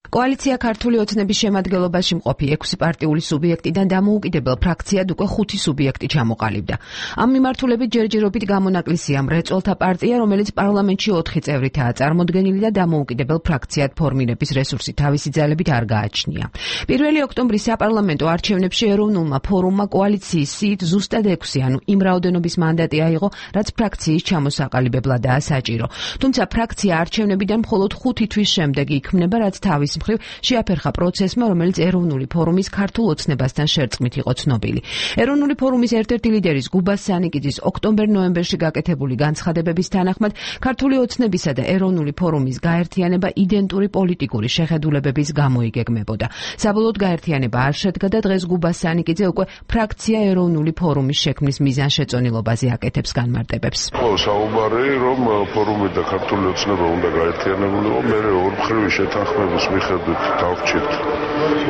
კოალიცია ქართული ოცნების შემადგენლობაში მყოფი 6 პარტიული სუბიექტიდან დამოუკიდებელ ფრაქციად უკვე 5 სუბიექტი ჩამოყალიბდა. ამ მიმართულებით ჯერჯერობით გამონაკლისია მრეწველთა პარტია, რომელიც პარლამენტში 4 წევრითაა წარმოდგენილი და დამოუკიდებელ ფრაქციად ფორმირების რესურსი თავისი ძალებით არ გააჩნია. 1 ოქტომბრის საპარლამენტო არჩევნებში ეროვნულმა ფორუმმა კოალიციის სიით ზუსტად 6, ანუ იმ რაოდენობის მანდატი აიღო, რაც ფრაქციის ჩამოსაყალიბებლადაა საჭირო. თუმცა ფრაქცია არჩევნებიდან მხოლოდ 5 თვის შემდეგ იქმნება, რაც თავის მხრივ შეაფერხა პროცესმა, რომელიც ეროვნული ფორუმის ქართულ ოცნებასთან შერწყმით იყო ცნობილი. ეროვნული ფორუმის ერთ-ერთი ლიდერის გუბას სანიკიძის ოქტომბერ-ნოემბერში გაკეთებული განცხადებების თანახმად, ქართული ოცნებისა და ეროვნული ფორუმის გაერთიანება იდენტური პოლიტიკური შეხედულებების გამო იგეგმებოდა. საბოლოოდ გაერთიანება არ შედგა და დღეს გუბას სანიკიძე უკვე ფრაქცია ეროვნული ფორუმის შექმნის მიზანშეწონილობაზე აკეთებს განმარტებებს. საუბარი, რომ ფორუმი და ქართული ოცნება უნდა გაერთიანებულიყო, მე ორ მხრივი შეთანხმების მიხედვით დავჭით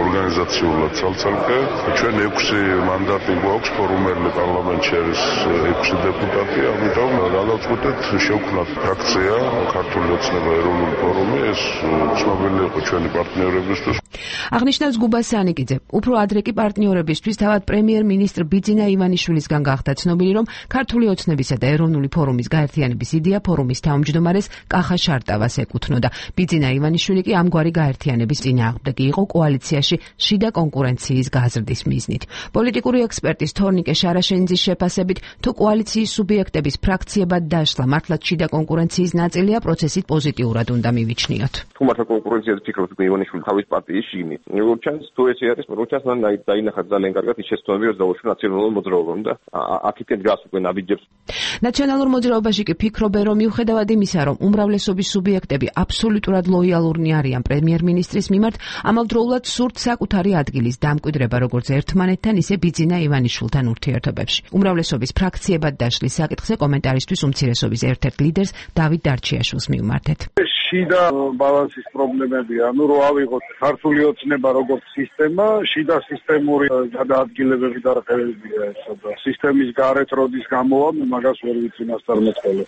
ორგანიზაციულად ცალ-ცალკე. ჩვენ 6 მანდატი გვაქვს, ფორუმელი პარლამენტში არის 6 დეპუტატი, ამიტომ გადავწყვეტეთ შევქმნათ ფრაქცია ქართული ოცნება ეროვნული ფორუმი, ეს ცნობილი იყო ჩვენი პარტნიორებისთვის. აღნიშნავს გუბას სანიკიძე. უფრო ადრე კი პარტნიორებისთვის თავად პრემიერ-მინისტრ ბიძინა ივანიშვილისგან გახდა ცნობილი, რომ ქართული ოცნებისა და ეროვნული ფორუმის გაერთიანების იდეა ფორუმის თავმჯდომარეს კახა შარტავას ეკუთვნოდა. ბიძინა ივანიშვილი კი ამგვარი გაერთიანების წინააღმდეგი იყო კოალიციაში შიდა კონკურენციის გაზრდის მიზნით. პოლიტიკური ექსპერტის თორნიკე შარაშენიძის შეფასებით, თუ კოალიციის სუბიექტების ფრაქციებად დაშლა მართლაც შიდა კონკურენციის ნაწილია, პროცესით პოზიტიურად უნდა მივიჩნიოთ. თუ მართლა კონკურენციაზე ფიქრობთ, ივანიშვილი თავის პარტიის შიგნით. როგორც ჩანს, თუ ესე არის, როგორც ჩანს, მან დაინახა ძალიან კარგად ის შეცდომები, რომ დაუშვი ნაციონალურ მოძრაობამ და აქედან დგას უკვე ნაბიჯებს. ნაციონალურ მოძრაობაში კი ფიქრობენ, რომ მიუხედავად იმისა, რომ უმრავლესობის სუბიექტები აბსოლუტურად ლოიალურნი არიან პრემიერ-მინისტრის მიმართ, ამავდროულად სურთ საკუთარი ადგილის დამკვიდრება როგორც ერთმანეთთან, ისე ბიძინა ივანიშვილთან ურთიერთობებში. უმრავლესობის ფრაქციებად დაშლის საკითხზე კომენტარისთვის უმცირესობის ერთ-ერთ ლიდერს დავით დარჩიაშვილს მივმართეთ. შიდა ბალანსის პრობლემებია. ანუ რო ავიღოთ ქართული ოცნება როგორც სისტემა, შიდა სისტემური გადაადგილებები და რხევებია ესა და სისტემის გარეთ როდის გამოვა, მაგას ვერ ვიცი მასწავლებელი.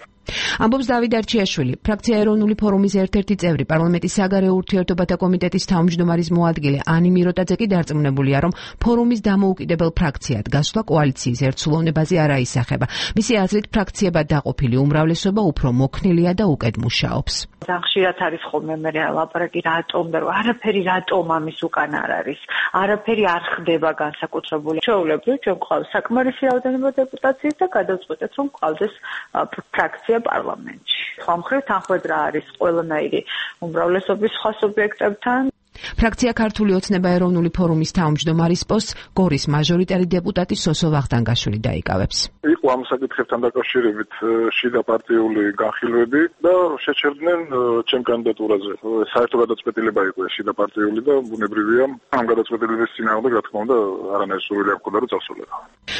ამბობს დავით არჩიაშვილი, ფრაქცია ეროვნული ფორუმის ერთ-ერთი წევრი, პარლამენტის საგარეო ურთიერთობათა კომიტეტის თავმჯდომარის მოადგილე ანი მიროტაძე კი დარწმუნებულია, რომ ფორუმის დამოუკიდებელ ფრაქციად გასვლა კოალიციის ერთსულოვნებაზე არ აისახება. მისი აზრით, ფრაქციებად დაყოფილი უმრავლესობა უფრო მოქნილია და უკეთ მუშაობს. ხშირად არის ხოლმე მე ლაპარაკი რატომ და არაფერი რატომ ამის უკან არ არის. არაფერი არ ხდება განსაკუთრებული. ჩვეულებრივ ჩვენ გვყავს საკმარისი რაოდენობა დეპუტაციის და გადავწყვეტეთ, რომ გვყავდეს ფრაქცია პარლამენტში. სხვა მხრივ თანხმედრა არის ყველანაირი უმრავლესობის სხვა სუბიექტებთან. ფრაქცია ქართული ოცნება ეროვნული ფორუმის თავმჯდომარის პოსტს გორის მაჟორიტარი დეპუტატი სოსო ვახტანგაშვილი დაიკავებს. იყო ამ საკითხებთან დაკავშირებით შიდა პარტიული განხილვები და შეჩერდნენ ჩემ კანდიდატურაზე. საერთო გადაწყვეტილება იყო შიდა პარტიული და ბუნებრივია ამ გადაწყვეტილების წინააღმდეგ რა თქმა უნდა არანაირი სურვილი არ მქონდა რომ წავსულიყო.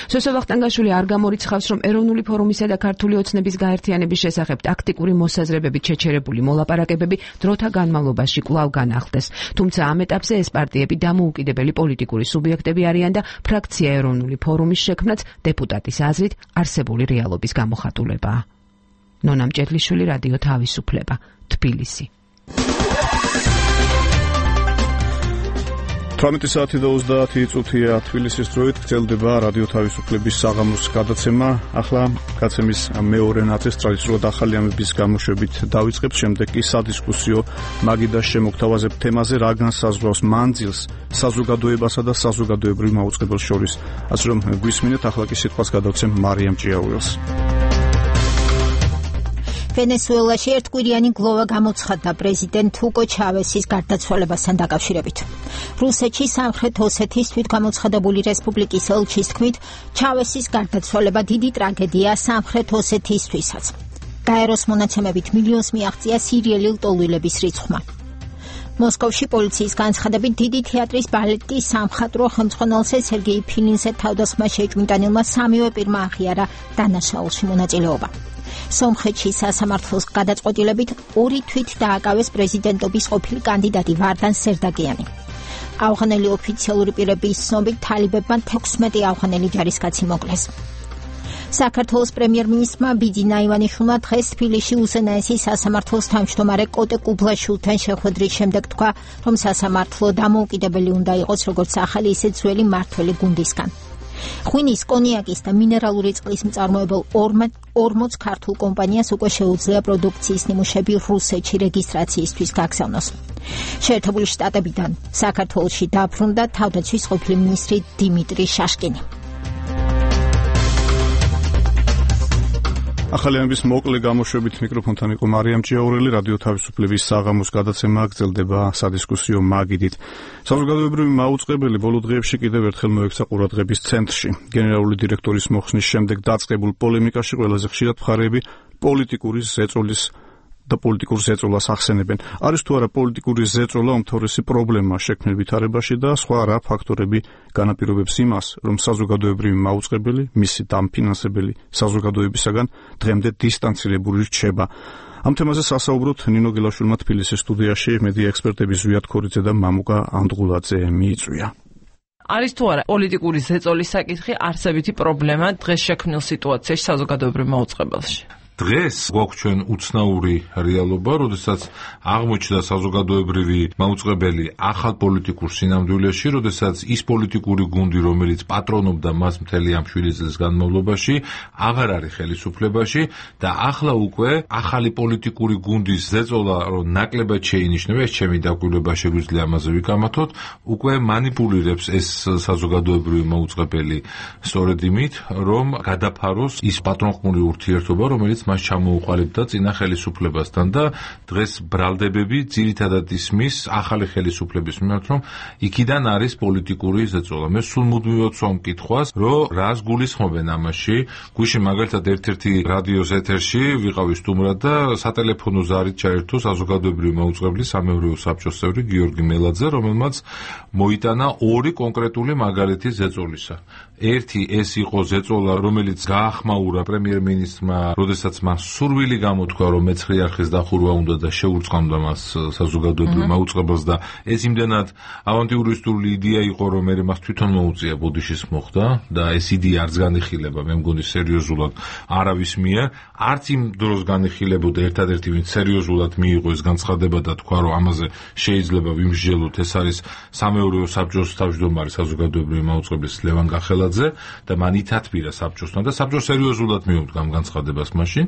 სოსო ვახტანგაშვილი არ გამორიცხავს, რომ ეროვნული ფორუმისა და ქართული ოცნების გაერთიანების შესახებ ტაქტიკური მოსაზრებებით შეჩერებული მოლაპარაკებები დროთა განმავლობაში კვლავ განახლდეს. თუმცა ამ ეტაპზე ეს პარტიები დამოუკიდებელი პოლიტიკური სუბიექტები არიან და ფრაქცია ეროვნული ფორუმის შექმნაც დეპუტატის აზრით არსებული რეალობის გამოხატულებაა. ნონა მჭედლიშვილი, რადიო თავისუფლება, თბილისი. 18 საათი და 30 წუთია თბილისის დროით გრძელდება რადიო თავისუფლების საღამოს გადაცემა. ახლა გადაცემის მეორე ნაწილს ტრადიციულად ახალი ამბების გამოშვებით დავიწყებთ, შემდეგ კი სადისკუსიო მაგიდას შემოგთავაზებ თემაზე, რა განსაზღვრავს მანძილს საზოგადოებასა და საზოგადოებრივ მაუწყებელს შორის. ასე რომ გვისმინეთ, ახლა კი სიტყვას გადავცემ მარიამ ჭიაურელს. ვენესუელაში ერთკვირიანი გლოვა გამოცხადდა პრეზიდენტ ჰუგო ჩავესის გარდაცვალებასთან დაკავშირებით. რუსეთში სამხრეთ ოსეთის თვითგამოცხადებული რესპუბლიკის ელჩის თქმით, ჩავესის გარდაცვალება დიდი ტრაგედია სამხრეთ ოსეთისთვისაც. გაეროს მონაცემებით მილიონს მიაღწია სირიელი ლტოლვილების რიცხვმა. მოსკოვში პოლიციის განცხადებით დიდი თეატრის ბალეტის სამხატვრო ხელმძღვანელზე სერგეი ფილინზე თავდასხმა შეჭმიტანილმა სამივე პირმა აღიარა დანაშაულში მონაწილეობა. სომხეთში სასამართლოს გადაწყვეტილებით 2 თვით დააკავეს პრეზიდენტობის ყოფილი კანდიდატი ვარდან სერდაგიანი. ავღანელი ოფიციალური პირების ცნობით თალიბებმა 16 ავღანელი ჯარისკაცი მოკლეს. საქართველოს პრემიერ-მინისტრმა ბიძინა ივანიშვილმა დღეს თბილისში უზენაესი სასამართლოს თავმჯდომარე კოტე კუბლაშვილთან შეხვედრის შემდეგ თქვა, რომ სასამართლო დამოუკიდებელი უნდა იყოს როგორც ახალი, ისე ძველი მმართველი გუნდისგან. ღვინის, კონიაკის და მინერალური წყლის მწარმოებელ 40 ქართულ კომპანიას უკვე შეუძლია პროდუქციის ნიმუშები რუსეთში რეგისტრაციისთვის გაგზავნოს. შეერთებული შტატებიდან საქართველოში დაბრუნდა თავდაცვის ყოფილი მინისტრი დიმიტრი შაშკინი. ახალი ამბის მოკლე გამოშვებით მიკროფონთან იყო მარიამ ჭიაურელი. რადიო თავისუფლების საღამოს გადაცემა გრძელდება სადისკუსიო მაგიდით. საზოგადოებრივი მაუწყებელი ბოლო დღეებში კიდევ ერთხელ მოექცა ყურადღების ცენტრში. გენერალური დირექტორის მოხსნის შემდეგ დაწყებულ პოლემიკაში ყველაზე ხშირად მხარეები პოლიტიკური ზეწოლის და პოლიტიკურ ზეწოლას ახსენებენ. არის თუ არა პოლიტიკური ზეწოლა უმთავრესი პრობლემა შექმნილ ვითარებაში და სხვა რა ფაქტორები განაპირობებს იმას, რომ საზოგადოებრივი მაუწყებელი, მისი დამფინანსებელი საზოგადოებისაგან დღემდე დისტანცირებული რჩება. ამ თემაზე სასაუბროთ ნინო გელაშვილმა თბილისის სტუდიაში მედია ექსპერტები ზვიად ქორიძე და მამუკა ანდღულაძე მიიწვია. არის თუ არა პოლიტიკური ზეწოლის საკითხი არსებითი პრობლემა დღეს შექმნილ სიტუაციაში საზოგადოებრივ მაუწყებელში? დღეს გვაქვს ჩვენ უცნაური რეალობა, როდესაც აღმოჩნდა საზოგადოებრივი მაუწყებელი ახალ პოლიტიკურ სინამდვილეში, როდესაც ის პოლიტიკური გუნდი, რომელიც პატრონობდა მას მთელი ამ 7 წლის განმავლობაში, აღარ არის ხელისუფლებაში და ახლა უკვე ახალი პოლიტიკური გუნდის ზეწოლა, რომ ნაკლებად შეინიშნება, ეს ჩემი დაკვირვება შეგვიძლია ამაზე ვიკამათოთ, უკვე манипуლირებს ეს საზოგადოებრივი მაუწყებელი სწორედ იმით, რომ გადაფაროს ის პატრონყმური ურთიერთობა, რომელიც მას ჩამოუყალიბდა წინა ხელისუფლებასთან და დღეს ბრალდებები ძირითადად ისმის ახალი ხელისუფლების მიმართ, რომ იქიდან არის პოლიტიკური ზეწოლა. მე სულ მუდმივად ვსვამ კითხვას, რომ რას გულისხმობენ ამაში. გვიშინ მაგალითად ერთ-ერთი რადიოს ეთერში ვიყავი სტუმრად და სატელეფონო ზარით ჩაერთო საზოგადოებრივი მაუწყებლის სამეურვეო საბჭოს წევრი გიორგი მელაძე, რომელმაც მოიტანა 2 კონკრეტული მაგალითი ზეწოლისა. ერთი ეს იყო ზეწოლა, რომელიც გაახმაურა პრემიერ-მინისტრმა, როდესაც მას სურვილი გამოთქვა, რომ მეცხრე არხის დახურვა უნდა და შეურწყამდა მას საზოგადოებრივ მაუწყებელს და ეს იმდენად ავანტიურისტული იდეა იყო, რომ მე მას თვითონ მოუწია ბოდიშის მოხდა და ეს იდეა არც განიხილება, მე მგონი სერიოზულად არავის მიერ, არც იმ დროს განიხილებოდა ერთადერთი ვინც სერიოზულად მიიღო ეს განცხადება და თქვა, რომ ამაზე შეიძლება ვიმსჯელოთ, ეს არის სამეურვეო საბჭოს თავმჯდომარე საზოგადოებრივი მაუწყებლის ლევან გახელაძე და მან ითათბირა საბჭოსთან და საბჭო სერიოზულად მიუდგა ამ განცხადებას მაშინ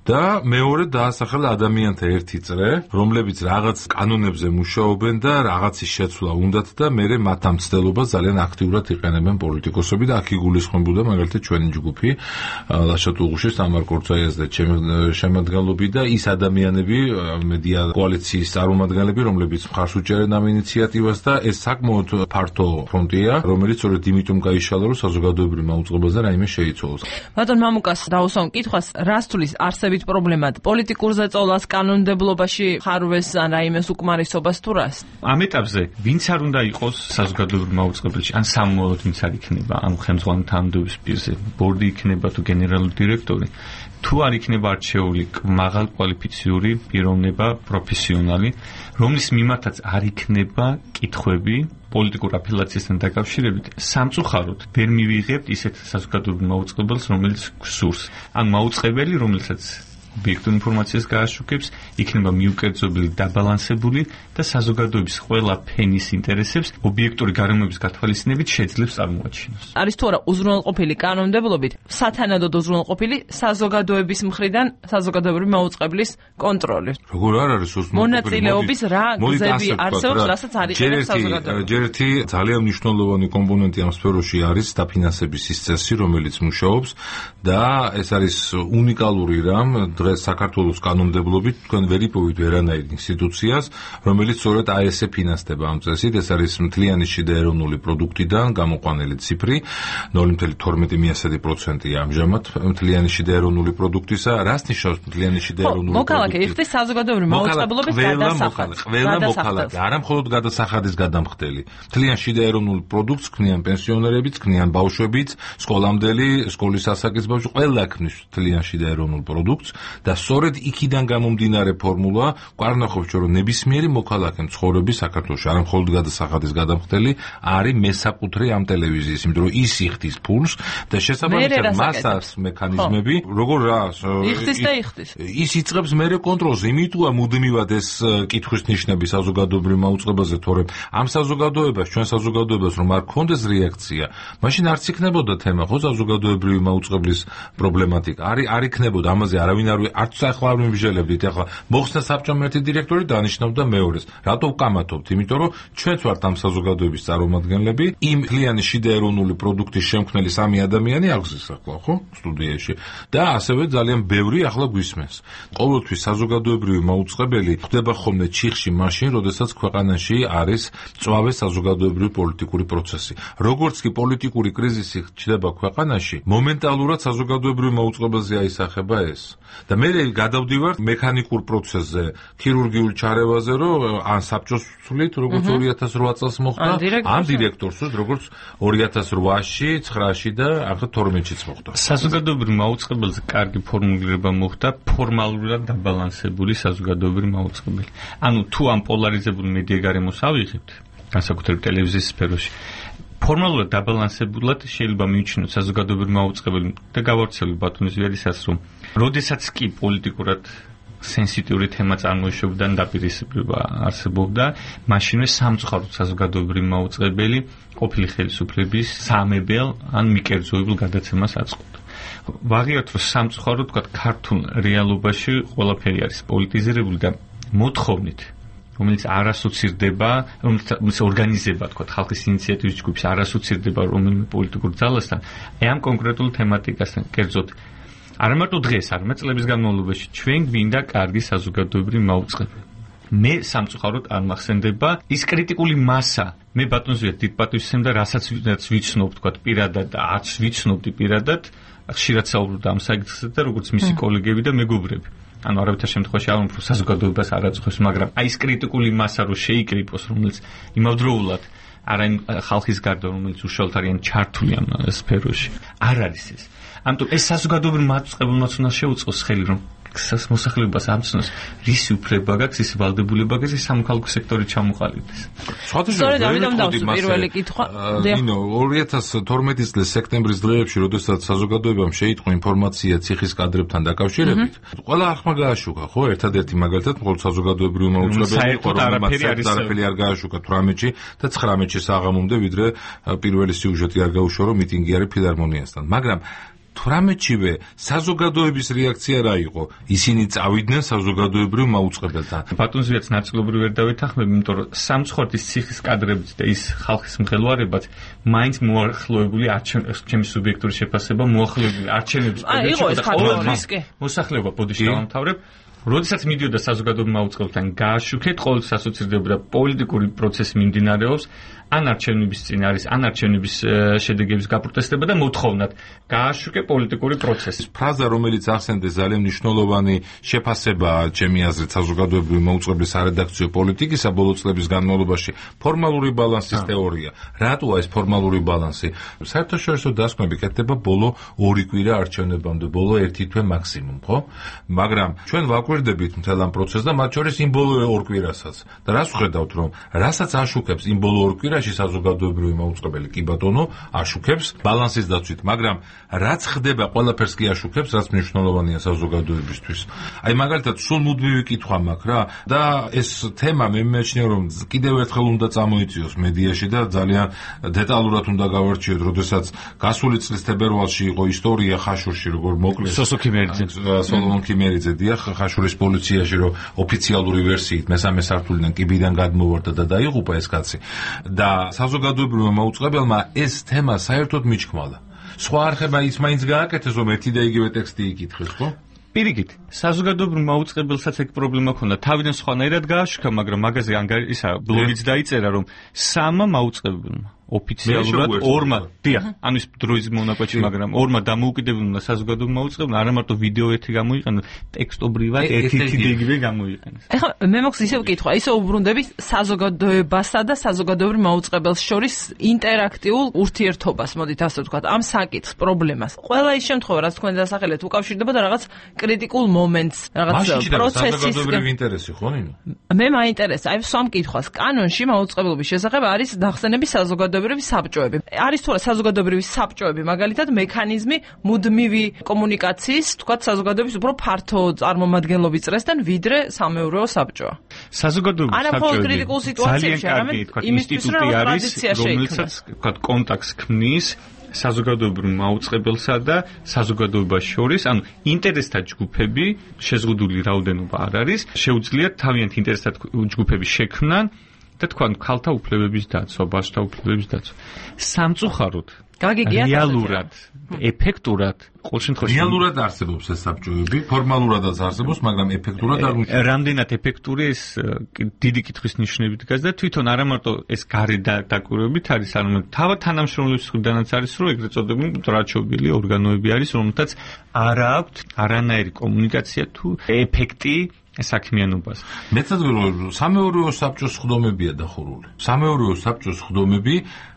და მეორე დაასახელა ადამიანთა ერთი წრე, რომლებიც რაღაც კანონებზე მუშაობენ და რაღაცის შეცვლა უნდათ და მერე მათ ამ მცდელობას ძალიან აქტიურად იყენებენ პოლიტიკოსები და აქ იგულისხმებოდა მაგალითად ჩვენი ჯგუფი ლაშა ტუღუშის, თამარ კორცაიას და შემადგენლობი და ის ადამიანები, მედია კოალიციის წარმომადგენლები, რომლებიც მხარს უჭერენ ამ ინიციატივას და ეს საკმაოდ ფართო ფრონტია, რომელიც სწორედ იმიტომ გაიშალა, რომ საზოგადოებრივ მაუწყებელზე რაიმე შეიცვალოს. ბატონ მამუკას დავუსვამ კითხვას, რას თulis არსებით პრობლემად? პოლიტიკურ ზეწოლას, კანონმდებლობაში ხარვეს ან რაიმეს უკმარისობას თუ რას? ამ ეტაპზე ვინც არ უნდა იყოს საზოგადოებრივ მაუწყებელში, ან სამმოვლოდ ვინც არ იქნება ამ ხელმძღვანელ თანამდებობის პირზე, ბორდი იქნება თუ გენერალური დირექტორი, თუ არ იქნება არჩეული მაღალ კვალიფიციური პიროვნება, პროფესიონალი, რომლის მიმართაც არ იქნება კითხვები პოლიტიკურ აფილაციასთან დაკავშირებით, სამწუხაროდ ვერ მივიღებთ ისეთ საზოგადოებრივ მაუწყებელს, რომელიც გსურს. ან მაუწყებელი, რომელსაც ობიექტურ ინფორმაციას გააშუქებს, იქნება მიუკერძობილი, დაბალანსებული და საზოგადოების ყველა ფენის ინტერესებს ობიექტური გარემოების გათვალისწინებით შეძლებს წარმოაჩინოს. არის თუ არა უზრუნველყოფილი კანონმდებლობით, სათანადოდ უზრუნველყოფილი საზოგადოების მხრიდან საზოგადოებრივი მაუწყებლის კონტროლი. როგორ არ არის უზრუნველყოფილი? მონაწილეობის რა გზები არსებობს, რასაც არ იყენებს საზოგადოება. ჯერ ერთი ძალიან მნიშვნელოვანი კომპონენტი ამ სფეროში არის დაფინანსების ის წესი, რომელიც მუშაობს და ეს არის უნიკალური რამ დღეს საქართველოს კანონმდებლობით თქვენ ვერ იპოვით ვერანაირ ინსტიტუციას, რომელიც სწორედ ASE ფინანსდება ამ წესით, ეს არის მთლიანი შიდა ეროვნული პროდუქტიდან გამოყვანილი ციფრი, 0.12% ამჟამად მთლიანი შიდა ეროვნული პროდუქტისა, რას ნიშნავს მთლიანი შიდა ეროვნული პროდუქტი? მოქალაქე იხდის საზოგადოებრივი მაუწყებლობის გადასახადს. ყველა მოქალაქე, არა მხოლოდ გადასახადის გადამხდელი. მთლიან შიდა ეროვნულ პროდუქტს ქმნიან პენსიონერებიც, ქმნიან ბავშვებიც, სკოლამდელი, სკოლის ასაკის ბავშვი, ყველა ქმნის მთლიან შიდა ეროვნულ პროდუქტს და სწორედ იქიდან გამომდინარე ფორმულა გვარნახობს, რომ ნებისმიერი მოქალაქე ცხოვრები საქართველოში, არა მხოლოდ გადასახადის გადამხდელი, არის მესაკუთრე ამ ტელევიზიის, იმიტომ რომ ის იხდის ფულს და შესაბამისად მას აქვს მექანიზმები, როგორ რა იხდის და იხდის. ის იწყებს მერე კონტროლს, იმიტოა მუდმივად ეს კითხვის ნიშნები საზოგადოებრივ მაუწყებელზე, თორემ ამ საზოგადოებას, ჩვენ საზოგადოებას რომ არ გქონდეს რეაქცია, მაშინ არც იქნებოდა თემა, ხო, საზოგადოებრივი მაუწყებლის პრობლემატიკა. არ იქნებოდა, ამაზე არავინ არც ახლა არ მიმსჯელებდით, ახლა მოხსნა საბჭომ ერთი დირექტორი დანიშნავდა მეორეს. რატო ვკამათობთ? იმიტომ რომ ჩვენც ვართ ამ საზოგადოების წარმომადგენლები, იმ მთლიანი შიდა ეროვნული პროდუქტის შემქმნელი სამი ადამიანი აღზის ახლა, ხო, სტუდიაში და ასევე ძალიან ბევრი ახლა გვისმენს. ყოველთვის საზოგადოებრივი მაუწყებელი ხდება ხოლმე ჩიხში მაშინ, როდესაც ქვეყანაში არის წვავე საზოგადოებრივი პოლიტიკური პროცესი. როგორც კი პოლიტიკური კრიზისი ხდება ქვეყანაში, მომენტალურად საზოგადოებრივ მაუწყებელზე აისახება ეს. და მე გადავდივარ მექანიკურ პროცესზე, ქირურგიულ ჩარევაზე, რომ ან საბჭოს ვცვლით, როგორც 2008 წელს მოხდა, ან დირექტორს, როგორც 2008-ში, 9-ში და ახლა 12-შიც მოხდა. საზოგადოებრივ მაუწყებელზე კარგი ფორმულირება მოხდა, ფორმალურად დაბალანსებული საზოგადოებრივი მაუწყებელი. ანუ თუ ამ პოლარიზებულ მედია გარემოს ავიღებთ, განსაკუთრებით ტელევიზიის სფეროში, ფორმალურად დაბალანსებულად შეიძლება მივიჩნიოთ საზოგადოებრივი მაუწყებელი და გავავრცელოთ ბატონის ვერისას, რომ როდესაც კი პოლიტიკურად სენსიტიური თემა წარმოიშობდა და დაპირისპირება არსებობდა, მაშინვე სამწუხაროდ საზოგადოებრივი მაუწყებელი ყოფილი ხელისუფლების საამებელ ან მიკერძოებულ გადაცემას აწყობდა. ვაღიაროთ, რომ სამწუხაროდ თქვა ქართულ რეალობაში ყველაფერი არის პოლიტიზირებული და მოთხოვნით, რომელიც არ ასოცირდება, რომელიც ორგანიზება, თქვა, ხალხის ინიციატივის ჯგუფის არ ასოცირდება რომელიმე პოლიტიკურ ძალასთან, ამ კონკრეტულ თემატიკასთან, კერძოდ არა მარტო დღეს, არამედ წლების განმავლობაში ჩვენ გვინდა კარგი საზოგადოებრივი მაუწყებელი. მე სამწუხაროდ არ მახსენდება ის კრიტიკული მასა, მე ბატონს ვიერ დიდ პატივს ვცემ და რასაც ვიცნობ, თქვა, პირადად და არც ვიცნობდი პირადად, ხშირად საუბრობდა ამ საკითხზე და როგორც მისი კოლეგები და მეგობრები. ანუ არავითარ შემთხვევაში არ უფრო საზოგადოებას არ აწუხებს, მაგრამ აი ეს კრიტიკული მასა რო შეიკრიფოს, რომელიც იმავდროულად არა იმ ხალხის გარდა, რომელიც უშუალოდ არიან ჩართული ამ სფეროში, არ არის ეს. ამიტომ ეს საზოგადოებრივ მაუწყებელმაც უნდა შეუწყოს ხელი, რომ მოსახლეობას ამცნოს რისი უფლება გაქვს, ისი ვალდებულება გაქვს, სამოქალაქო სექტორი ჩამოყალიბდეს. სწორედ ამიტომ დავსვი პირველი კითხვა. ნინო 2012 წლის სექტემბრის დღეებში, როდესაც საზოგადოებამ შეიტყო ინფორმაცია ციხის კადრებთან დაკავშირებით, ყველა ახმა გააშუქა, ხო? ერთადერთი მაგალითად მხოლოდ საზოგადოებრივი მაუწყებელი იყო, რომელმაც არაფერი არ გააშუქა 18-ში და 19-ში საღამომდე, ვიდრე პირველი სიუჟეტი არ გაუშვა, რომ მიტინგი არის ფილარმონიასთან. მაგრამ 18-შივე საზოგადოების რეაქცია რა იყო? ისინი წავიდნენ საზოგადოებრივ მაუწყებელთან. ბატონზეც ნაწილობრივ ვერ დავეთანხმებ, იმიტომ რომ სამცხორთის ციხის კადრებით და ის ხალხის მღელვარებაც მაინც მოახლოებული ჩემი სუბიექტური შეფასება მოახლოებული არჩევნების პერიოდში და ყოველთვის მოსახლეობა ბოდიში დავამთავრებ. როდესაც მიდიოდა საზოგადოებრივ მაუწყებელთან გააშუქეთ, ყოველთვის ასოცირდებოდა პოლიტიკური პროცესი მიმდინარეობს, ან არჩევნების წინ არის, ან არჩევნების შედეგების გაპროტესტება და მოთხოვნად გააშუქე პოლიტიკური პროცესი. ფრაზა, რომელიც ახსენდეს, ძალიან მნიშვნელოვანი შეფასებაა, ჩემი აზრით, საზოგადოებრივი მაუწყებლის არედაქციო პოლიტიკისა ბოლო წლების განმავლობაში ფორმალური ბალანსის თეორია. რატოა ეს ფორმალური ბალანსი? საერთაშორისო დასკვნები კეთდება ბოლო 2 კვირა არჩევნებამდე, ბოლო 1 თვე მაქსიმუმ, ხო? მაგრამ ჩვენ ვაკვირდებით მთელ ამ პროცესს და მათ შორის იმ ბოლო 2 კვირასაც. და რას ვხედავთ, რომ რასაც აშუქებს იმ ბოლო 2 კვირაში საზოგადოებრივი მაუწყებელი კი ბატონო აშუქებს ბალანსის დაცვით, მაგრამ რაც ხდება ყველაფერს კი აშუქებს, რაც მნიშვნელოვანია საზოგადოებისთვის. აი მაგალითად სულ მუდმივი კითხვა მაქვს რა და ეს თემა მე მიმეჩნია რომ კიდევ ერთხელ უნდა წამოიწიოს მედიაში და ძალიან დეტალურად უნდა გავარჩიოთ, როდესაც გასული წლის თებერვალში იყო ისტორია ხაშურში, როგორ მოკლეს სოლომონ ქიმერიძე დიახ ხაშურის პოლიციაში, რომ ოფიციალური ვერსიით მესამე სართულიდან კიბიდან გადმოვარდა და დაიღუპა ეს კაცი და საზოგადოებრივმა მაუწყებელმა ეს თემა საერთოდ მიჩქმალა. სხვა არხებმა ის მაინც გააკეთეს, რომ ერთი და იგივე ტექსტი იკითხეს, ხო? პირიქით, საზოგადოებრივ მაუწყებელსაც ეგ პრობლემა ქონდა. თავიდან სხვანაირად გააშუქა, მაგრამ მაგაზე ისა ბლოგიც დაიწერა, რომ სამა მაუწყებელმა ოფიციალურად ორმა, დიახ, ანუ ის დროის მონაკვეთში, მაგრამ ორმა დამოუკიდებელმა საზოგადოებრივ მაუწყებელმა არა მარტო ვიდეო ერთი გამოიყენა, ტექსტობრივად ერთი და იგივე გამოიყენეს. ეხლა მე მოხს ისევ კითხვა, ისე უბრუნდები საზოგადოებასა და საზოგადოებრივ მაუწყებელს შორის ინტერაქტიულ ურთიერთობას, მოდით ასე ვთქვათ, ამ საკითხს, პრობლემას. ყველა ის შემთხვევა, რაც თქვენ დასახელეთ, უკავშირდება და რაღაც კრიტიკულ მომენტს, რაღაც პროცესის. საზოგადოებრივი ინტერესი ხო ნინო? მე მაინტერესა, აი სამ კითხვას. კანონში მაუწყებლობის შესახებ არის დახსენები საზოგადოებრივი საბჭოები. არის თუ არა საზოგადოებრივი საბჭოები, მაგალითად მექანიზმი მუდმივი კომუნიკაციის, თქვათ საზოგადოების უფრო ფართო წარმომადგენლობის წრესთან, ვიდრე სამეურვეო საბჭოა. საზოგადოებრივი საბჭოები ძალიან კარგი ინსტიტუტი არის, რომელსაც თქვათ კონტაქტს ქმნის საზოგადოებრივ მაუწყებელსა და საზოგადოებას შორის, ანუ ინტერესთა ჯგუფები, შეზღუდული რაოდენობა არ არის, შეუძლიათ თავიანთი ინტერესთა ჯგუფების შექმნა და თქვენ ქალთა უფლებების დაცვა, ბავშვთა უფლებების დაცვა. სამწუხაროდ, რეალურად, ეფექტურად, ყოველ შემთხვევაში რეალურად არსებობს ეს საბჭოები, ფორმალურადაც არსებობს, მაგრამ ეფექტურად არ მიწევს. რამდენად ეფექტური ეს დიდი კითხვის ნიშნებით დგას და თვითონ არა მარტო ეს გარე დაკვირვებით არის, არამედ თავად თანამშრომლობის მხრიდანაც არის, რომ ეგრეთ წოდებული მტრაჩობილი ორგანოები არის, რომელთაც არ აქვთ არანაირი კომუნიკაცია თუ ეფექტი საქმიანობას. მეცად ვეუბნები, სამეურვეო საბჭოს სხდომებია დახურული. სამეურვეო საბჭოს სხდომები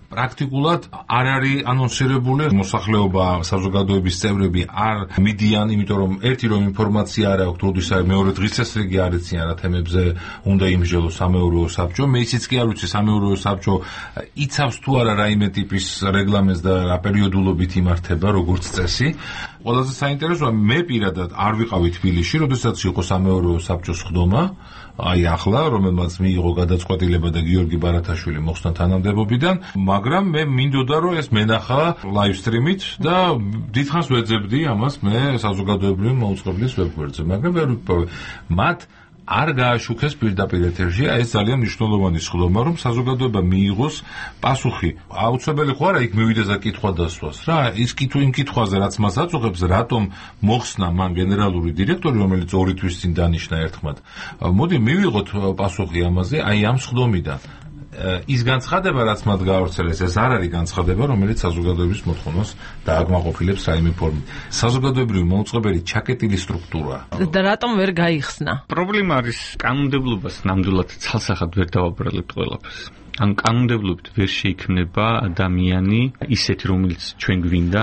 პრაქტიკულად არ არის ანონსირებული, მოსახლეობა, საზოგადოების წევრები არ მიდიან, იმიტომ რომ ერთი რომ ინფორმაცია არ აქვს, როდის არის, მეორე დღის წესრიგი არ ეციან რა თემებზე უნდა იმსჯელოს სამეურვეო საბჭო. მე ისიც კი არ ვიცი სამეურვეო საბჭო იცავს თუ არა რაიმე ტიპის რეგლამენტს და რა პერიოდულობით იმართება, როგორც წესი. ყველაზე საინტერესოა, მე პირადად არ ვიყავი თბილისში, როდესაც იყო სამეურვეო საბჭოს სხდომა. აი ახლა, რომელმაც მიიღო გადაწყვეტილება და გიორგი ბარათაშვილი მოხსნა თანამდებობიდან, მაგრამ მე მინდოდა რომ ეს მენახა ლაივ სტრიმით და დიდხანს ვეძებდი ამას მე საზოგადოებრივი მაუწყებლის ვებგვერდზე, მაგრამ ვერ ვიპოვე. მათ არ გააშუქეს პირდაპირ ეთერში, ეს ძალიან მნიშვნელოვანი სხდომა, რომ საზოგადოება მიიღოს პასუხი. აუცილებელი ხო არა იქ მივიდეს და კითხვა დასვას რა, ის იმ კითხვაზე რაც მას აწუხებს, რატომ მოხსნა მან გენერალური დირექტორი, რომელიც 2 თვის წინ დანიშნა ერთხმად. მოდი მივიღოთ პასუხი ამაზე, აი ამ სხდომიდან. ის განცხადება, რაც მათ გაავრცელეს, ეს არ არის განცხადება, რომელიც საზოგადოების მოთხოვნას დააკმაყოფილებს რაიმე ფორმით. საზოგადოებრივი მოუწყებელი ჩაკეტილი სტრუქტურა. და რატომ ვერ გაიხსნა? პრობლემა არის კანონმდებლობას ნამდვილად ცალსახად ვერ დავაბრალებთ ყველაფერს. ანუ კანონმდებლობით ვერ შეიქმნება ადამიანი ისეთი, რომელიც ჩვენ გვინდა.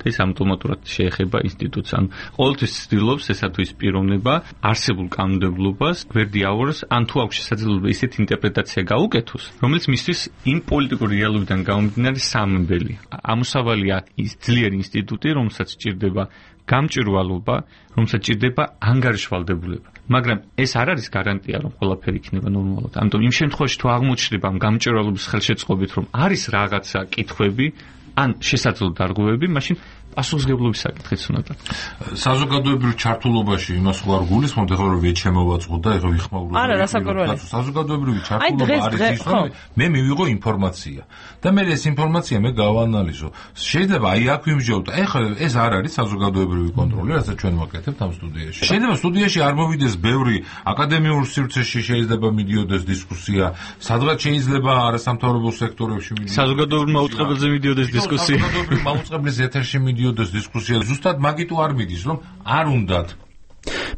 ეს ავტომატურად შეეხება ინსტიტუტს. ანუ ყოველთვის ცდილობს ესა თუ ის პიროვნება არსებულ კანონმდებლობას გვერდიაურს, ან თუ აქვს შესაძლებლობა ისეთი ინტერპრეტაცია გაუკეთოს, რომელიც მისთვის იმ პოლიტიკური რეალობიდან გამომდინარე სამებელი. ამოსავალია ის ძლიერი ინსტიტუტი, რომელსაც სჭირდება გამჭვირვალობა, რომელსაც სჭირდება ანგარიშვალდებულება. მაგრამ ეს არ არის გარანტია, რომ ყველაფერი იქნება ნორმალურად. ამიტომ იმ შემთხვევაში თუ აღმოჩნდება ამ გამჭვირვალობის ხელშეწყობით, რომ არის რაღაცა კითხვები, ან შესაძლო დარღვევები, მაშინ პასუხისმგებლობის საკითხიც უნდა დადგეს. საზოგადოებრივ ჩართულობაში იმას ხო არ გულისხმობთ, ეხლა რომ ვეჩემოვაწყოთ და ეხლა ვიხმაუროთ. არა, რასაკვირველია. საზოგადოებრივი ჩართულობა არის ის, რომ მე მივიღო ინფორმაცია და მე ეს ინფორმაცია მე გავანალიზო. შეიძლება აი აქ ვიმსჯელოთ. ეხლა ეს არ არის საზოგადოებრივი კონტროლი, რასაც ჩვენ ვაკეთებთ ამ სტუდიაში. შეიძლება სტუდიაში არ მოვიდეს ბევრი აკადემიურ სივრცეში შეიძლება მიდიოდეს დისკუსია, სადღაც შეიძლება არასამთავრობო სექტორებში მიდიოდეს. საზოგადოებრივ მაუწყებელზე მიდიოდეს დისკუსია. საზოგადოებრივ მაუწყებლის ეთერში მიდიოდეს დისკუსია. ზუსტად მაგიტო არ მიდის, რომ არ უნდათ.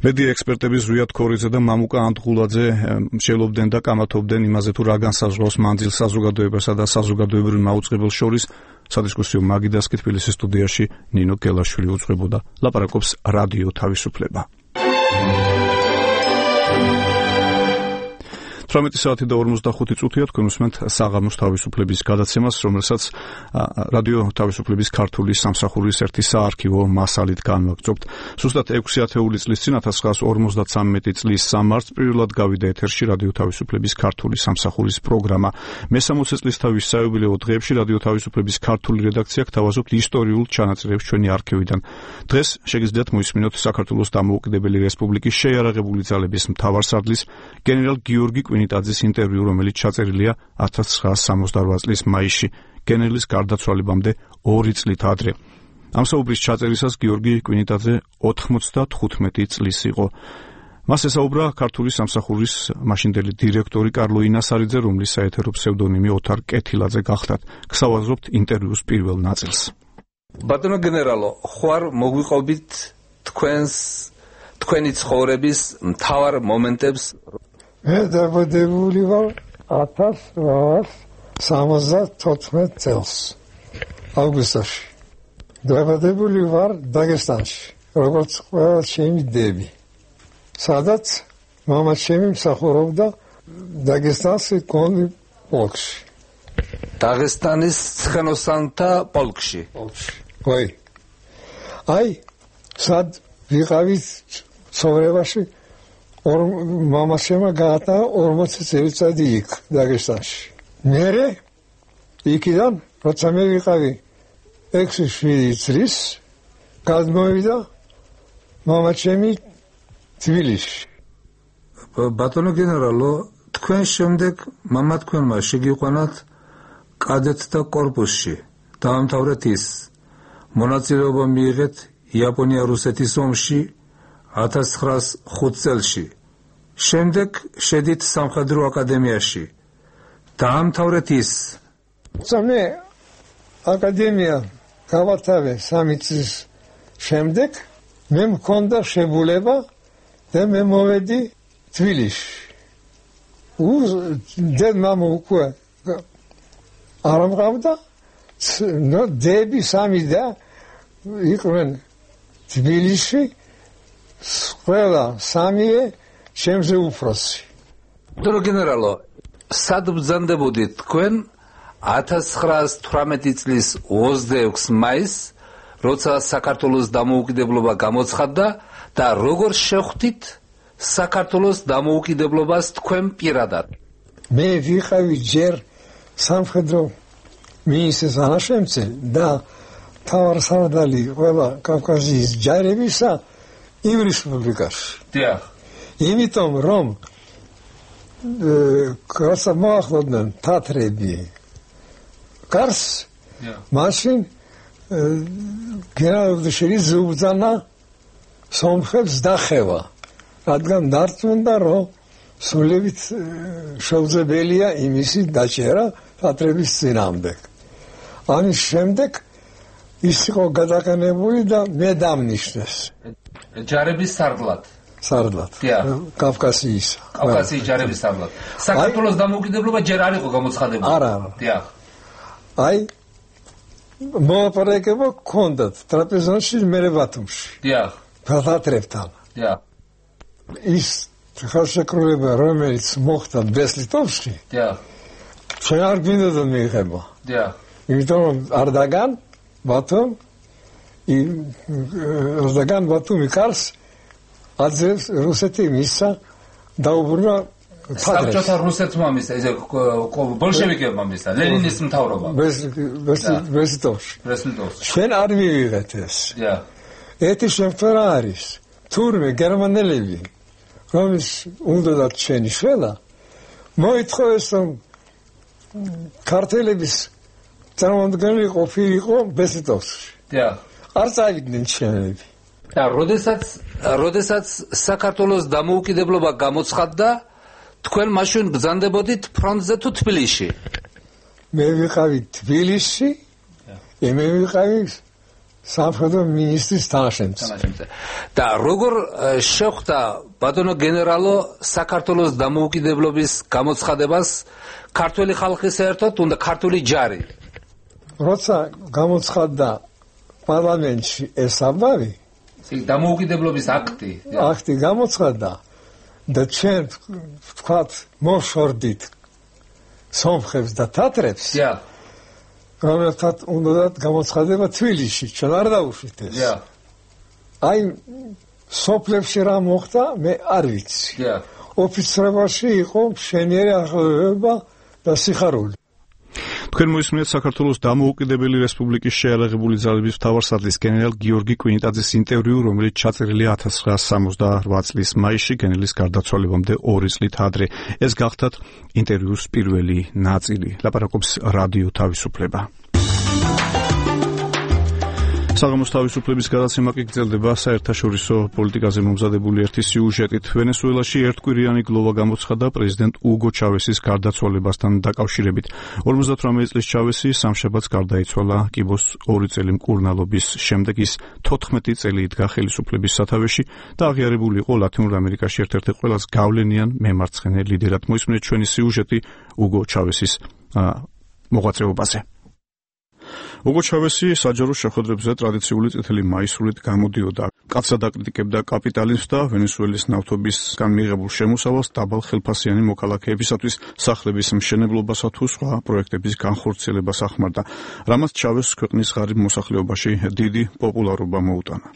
მედია ექსპერტები ზვიად ქორიძე და მამუკა ანტღულაძე მსჯელობდნენ და კამათობდნენ იმაზე, თუ რა განსაზღვრავს მანძილს საზოგადოებასა და საზოგადოებრივ მაუწყებელს შორის. სადისკუსიო მაგიდასკი თბილისის სტუდიაში ნინო გელაშვილი უძღვებოდა. ლაპარაკობს რადიო თავისუფლება. 18 საათი და 45 წუთია თქვენ უსმენთ საღამოს თავისუფლების გადაცემას, რომელსაც რადიო თავისუფლების ქართული სამსახურის ერთი საარქივო მასალით განვაგრძობთ. ზუსტად 6 ათეული წლის წინ 1953 წლის 3 მარტს პირველად გავიდა ეთერში რადიო თავისუფლების ქართული სამსახურის პროგრამა. მე-60 წლისთავის საიუბილეო დღეებში რადიო თავისუფლების ქართული რედაქცია გთავაზობთ ისტორიულ ჩანაწერებს ჩვენი არქივიდან. დღეს შეგიძლიათ მოისმინოთ საქართველოს დამოუკიდებელი რესპუბლიკის შეიარაღებული ძალების მთავარსარდლის გენერალ გიორგი კვინიტაძის ინტერვიუ, რომელიც ჩაწერილია 1968 წლის მაისში, გენერლის გარდაცვალებამდე 2 წლით ადრე. ამ საუბრის ჩაწერისას გიორგი კვინიტაძე 95 წლის იყო. მას ესაუბრა ქართული სამსახურის მაშინდელი დირექტორი კარლო ინასარიძე, რომლის საეთერო ფსევდონიმი ოთარ კეთილაძე გახდათ. გსავაზობთ ინტერვიუს პირველ ნაწილს. ბატონო გენერალო, ხوار მოგვიყვებით თქვენი ცხოვრების მთავარ მომენტებს. მე დაბადებული ვარ 1874 წელს აგვისტოში. დაბადებული ვარ დაგესტანში, როგორც ყველა ჩემი დები. სადაც მამა ჩემი მსახურობდა დაგესტანში კონი პოლკში. დაღესტანის ცხენოსანთა პოლკში. ვაი. აი, სად ვიყავით ცხოვრებაში მამა შემა გაატა 40 წელიწადი იქ დაგესტანში. მერე იქიდან როცა მე ვიყავი 6-7 წლის გადმოვიდა მამა ჩემი თბილისში. ბატონო გენერალო, თქვენ შემდეგ მამა თქვენმა შეგიყვანათ კადეტთა კორპუსში. დაამთავრეთ ის. მონაწილეობა მიიღეთ იაპონია-რუსეთის ომში 1905 წელში. შემდეგ შედით სამხედრო აკადემიაში. დაამთავრეთ ის. მე აკადემია გავათავე 3 წლის შემდეგ მე მქონდა შეგულება და მე მოვედი თბილისში. მამა უკვე არ ამყავდა, დები 3 და იყვნენ თბილისში, ყველა 3 ჩემზე უფროსი. ბატონო გენერალო, სად ბრძანდებოდით თქვენ 1918 წლის 26 მაისს, როცა საქართველოს დამოუკიდებლობა გამოცხადდა და როგორ შეხვდით საქართველოს დამოუკიდებლობას თქვენ პირადად? მე ვიყავი ჯერ სამხედრო მინისტრის ანაშემწე და მთავარსარდალი ყველა კავკასიის ჯარებისა იმ რესპუბლიკაში. დიახ. იმიტომ რომ კაცს მოახლოდნენ თათრები კარს, მაშინ გენერალ-მდივანი ზუბძანა სომხებს დახევა, რადგან დარწმუნდა რომ სულებით შეუძლებელია იმისი დაჭერა თეატრების წინააღმდეგ. ამის შემდეგ ის იყო გადაყენებული და მე დამნიშნეს. ჯარების სარდლად. კავკასიის ჯარების სარდლად. საქართველოს დამოუკიდებლობა ჯერ არ იყო გამოცხადებული. არა. აი მოპარეკება კონდათ ტრაპეზონში მერე ბათუმში. თეატრებთან. ის ხელშეკრულება რომელიც მოხდა ბესლიტოვში. ჩვენ არ გვინდოდა მიიღება. იმიტომ არდაგან ბათუმ ბათუმი კარს აძებს რუსეთი მისცა დაუბრუნა საბჭოთა რუსეთმა მისცა ეს ბოლშევიკებმა მისცა ლენინის მთავრობა ბესლიტოვში. ჩვენ არ მივიღეთ ეს. ერთი შემთხვევა არის თურმე გერმანელები რომის უნდა ჩვენი შველა მოითხოვეს რომ ქართველების წარმომადგენელი ყოფილიყო ბესლიტოვში. არ წავიდნენ ჩვენები. და როდესაც საქართველოს დამოუკიდებლობა გამოცხადდა, თქვენ მაშინ ბრძანდებოდით ფრონტზე თუ თბილისში? მე ვიყავი თბილისში, მე ვიყავი სამხედრო მინისტრის თანაშემწე. და როგორ შეხვდა ბატონო გენერალო საქართველოს დამოუკიდებლობის გამოცხადებას ქართული ხალხი საერთოდ უნდა ქართული ჯარი? როცა გამოცხადდა პარლამენტში ეს ამბავი, დამოუკიდებლობის აქტი გამოცხადდა და ჩვენ ვთქვათ მოვშორდით სომხებს და თათრებს. რომელთაც უნდა გამოცხადება თბილისში, ჩვენ არ დავუშვით ეს. აი სოფლებში რა მოხდა, მე არ ვიცი. ოფიცრებაში იყო მშვენიერი აღლევება და სიხარული. თქვენ მოისმინეთ საქართველოს დამოუკიდებელი რესპუბლიკის შეიარაღებული ძალების მთავარსარდლის გენერალ გიორგი კვინტაძის ინტერვიუ, რომელიც ჩაწერილია 1968 წლის მაისში გენერლის გარდაცვალებამდე 2 წლით ადრე. ეს გახლდათ ინტერვიუს პირველი ნაწილი. ლაპარაკობს რადიო თავისუფლება. საღამოს თავისუფლების გადაცემა კი გრძელდება საერთაშორისო პოლიტიკაზე მომზადებული ერთი სიუჟეტით. ვენესუელაში ერთკვირიანი გლოვა გამოცხადდა პრეზიდენტ უგო ჩავესის გარდაცვალებასთან დაკავშირებით. 58 წლის ჩავესი სამშაბათს გარდაიცვალა კიბოს 2 წელი მკურნალობის შემდეგ. ის 14 წელი იდგა ხელისუფლების სათავეში და აღიარებული იყო ლათინურ ამერიკაში ერთ-ერთი ყველაზე გავლენიან მემარცხენე ლიდერად. მოისმინეთ ჩვენი სიუჟეტი უგო ჩავესის მოღვაწეობაზე. უგო ჩავესი საჯარო შეხვედრებზე ტრადიციული წითელი მაისურით გამოდიოდა. კაცად აკრიტიკებდა კაპიტალიზმს და ვენესუელის ნავთობისგან მიიღებულ შემოსავალს დაბალ ხელფასიანი მოქალაქეებისათვის სახლების მშენებლობასა თუ სხვა პროექტების განხორციელებას ახმარდა, რამაც ჩავესს ქვეყნის ღარიბ მოსახლეობაში დიდი პოპულარობა მოუტანა.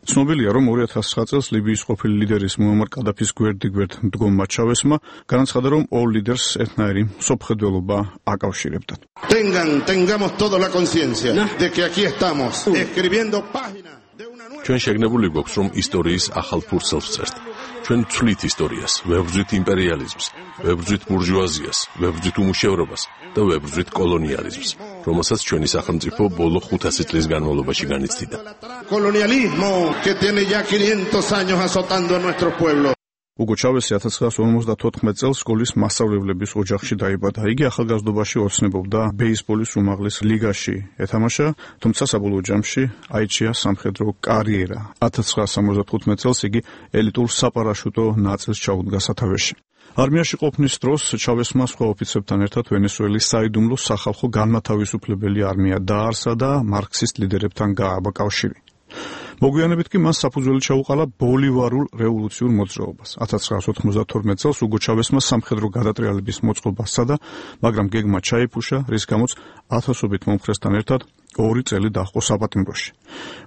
ცნობილია, რომ 2009 წელს ლიბიის ყოფილი ლიდერის მუამარ კადაფის გვერდ-გვერდ მდგომმა ჩავესმა განაცხადა, რომ ორ ლიდერს ერთნაირი მსოფლმხედველობა აკავშირებდა. Tengamos toda la conciencia de que aquí estamos escribiendo páginas. ჩვენ შეგნებული გვაქვს, რომ ისტორიის ახალ ფურცელს ვწერთ. ჩვენ ვცვლით ისტორიას, ვებრძვით იმპერიალიზმს, ვებრძვით ბურჟუაზიას, ვებრძვით უმუშევრობას და ვებრძვით კოლონიალიზმს, რომელსაც ჩვენი სახელმწიფო ბოლო 500 წლის განმავლობაში განიცდიდა. Colonialismo que tiene ya 500 años azotando a nuestro pueblo. უგო ჩავესი 1954 წელს სკოლის მასწავლებლების ოჯახში დაიბადა. იგი ახალგაზრდობაში ოცნებობდა ბეისბოლის უმაღლეს ლიგაში ეთამაშა, თუმცა საბოლოო ჯამში აიჩია სამხედრო კარიერა. 1975 წელს იგი ელიტურ საპარაშუტო ნაწილს ჩაუდგა სათავეში. არმიაში ყოფნის დროს ჩავესმა სხვა ოფიცრებთან ერთად ვენესუელის საიდუმლო სახალხო განმათავისუფლებელი არმია დაარსა და მარქსისტ ლიდერებთან გააბა კავშირი. მოგვიანებით კი მას საფუძველი ჩაუყარა ბოლივარულ რევოლუციურ მოძრაობას. 1992 წელს უგო ჩავესმა სამხედრო გადატრიალების მოწყობა სცადა, მაგრამ გეგმა ჩაიფუშა, რის გამოც ათასობით მომხრესთან ერთად 2 წელი დაჰყო საპატიმროში.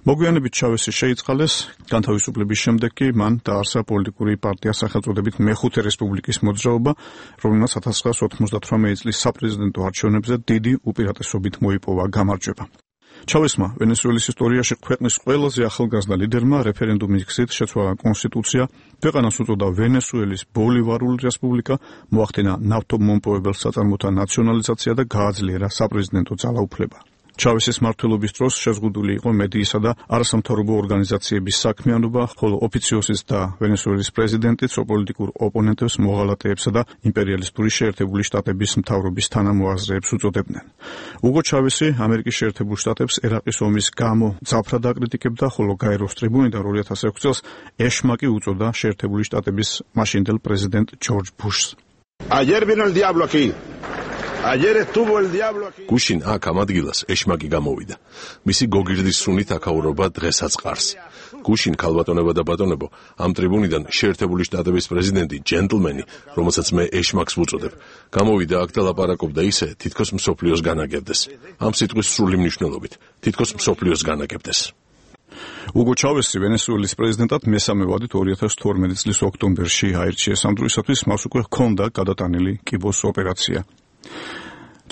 მოგვიანებით ჩავესი შეიწყალეს, განთავისუფლების შემდეგ კი მან დაარსა პოლიტიკური პარტია სახელწოდებით მეხუთე რესპუბლიკის მოძრაობა, რომელმაც 1998 წლის საპრეზიდენტო არჩევნებზე დიდი უპირატესობით მოიპოვა გამარჯვება. ჩავესმა ვენესუელის ისტორიაში ქვეყნის ყველაზე ახალგაზრდა ლიდერმა რეფერენდუმის გზით შეცვალა კონსტიტუცია, ქვეყანას უწოდა ვენესუელის ბოლივარული რესპუბლიკა, მოახდინა ნავთობმომპოვებელ საწარმოთა ნაციონალიზაცია და გააძლიერა საპრეზიდენტო ძალაუფლება. ჩავესის მმართველობის დროს შეზღუდული იყო მედიისა და არასამთავრობო ორგანიზაციების საქმიანობა, ხოლო ოფიციოსის და ვენესუელის პრეზიდენტი პოლიტიკურ ოპონენტებს მოღალატეებსა და იმპერიალისტური შეერთებული შტატების მთავრობის თანამოაზრეებს უწოდებდნენ. უგო ჩავესი ამერიკის შეერთებულ შტატებს ერაყის ომის გამო ძაფრად აკრიტიკებდა, ხოლო გაეროს ტრიბუნიდან 2006 წელს ეშმაკი უწოდა შეერთებული შტატების მაშინდელ პრეზიდენტ ჯორჯ ბუშს. Ayer vino el diablo aquí. Ayer estuvo el diablo aquí. გუშინ აქ ამ ადგილას ეშმაკი გამოვიდა. მისი გოგირდის სუნით აკაურობა დღესაც ყარს. გუშინ ქალბატონება და ბატონებო, ამ ტრიბუნიდან შეერთებული შტატების პრეზიდენტი ჯენტლმენი, რომელსაც მე ეშმაკს ვუწოდებ, გამოვიდა აქ და ლაპარაკობდა ისე, თითქოს მსოფლიოს განაგებდეს. ამ სიტყვის სრული მნიშვნელობით, თითქოს მსოფლიოს განაგებდეს. უგო ჩავესი ვენესუელის პრეზიდენტად მესამე ვადით 2012 წლის ოქტომბერში აირჩიეს. ამ დროისათვის მას უკვე ჰქონდა გადატანილი კიბოს ოპერაცია.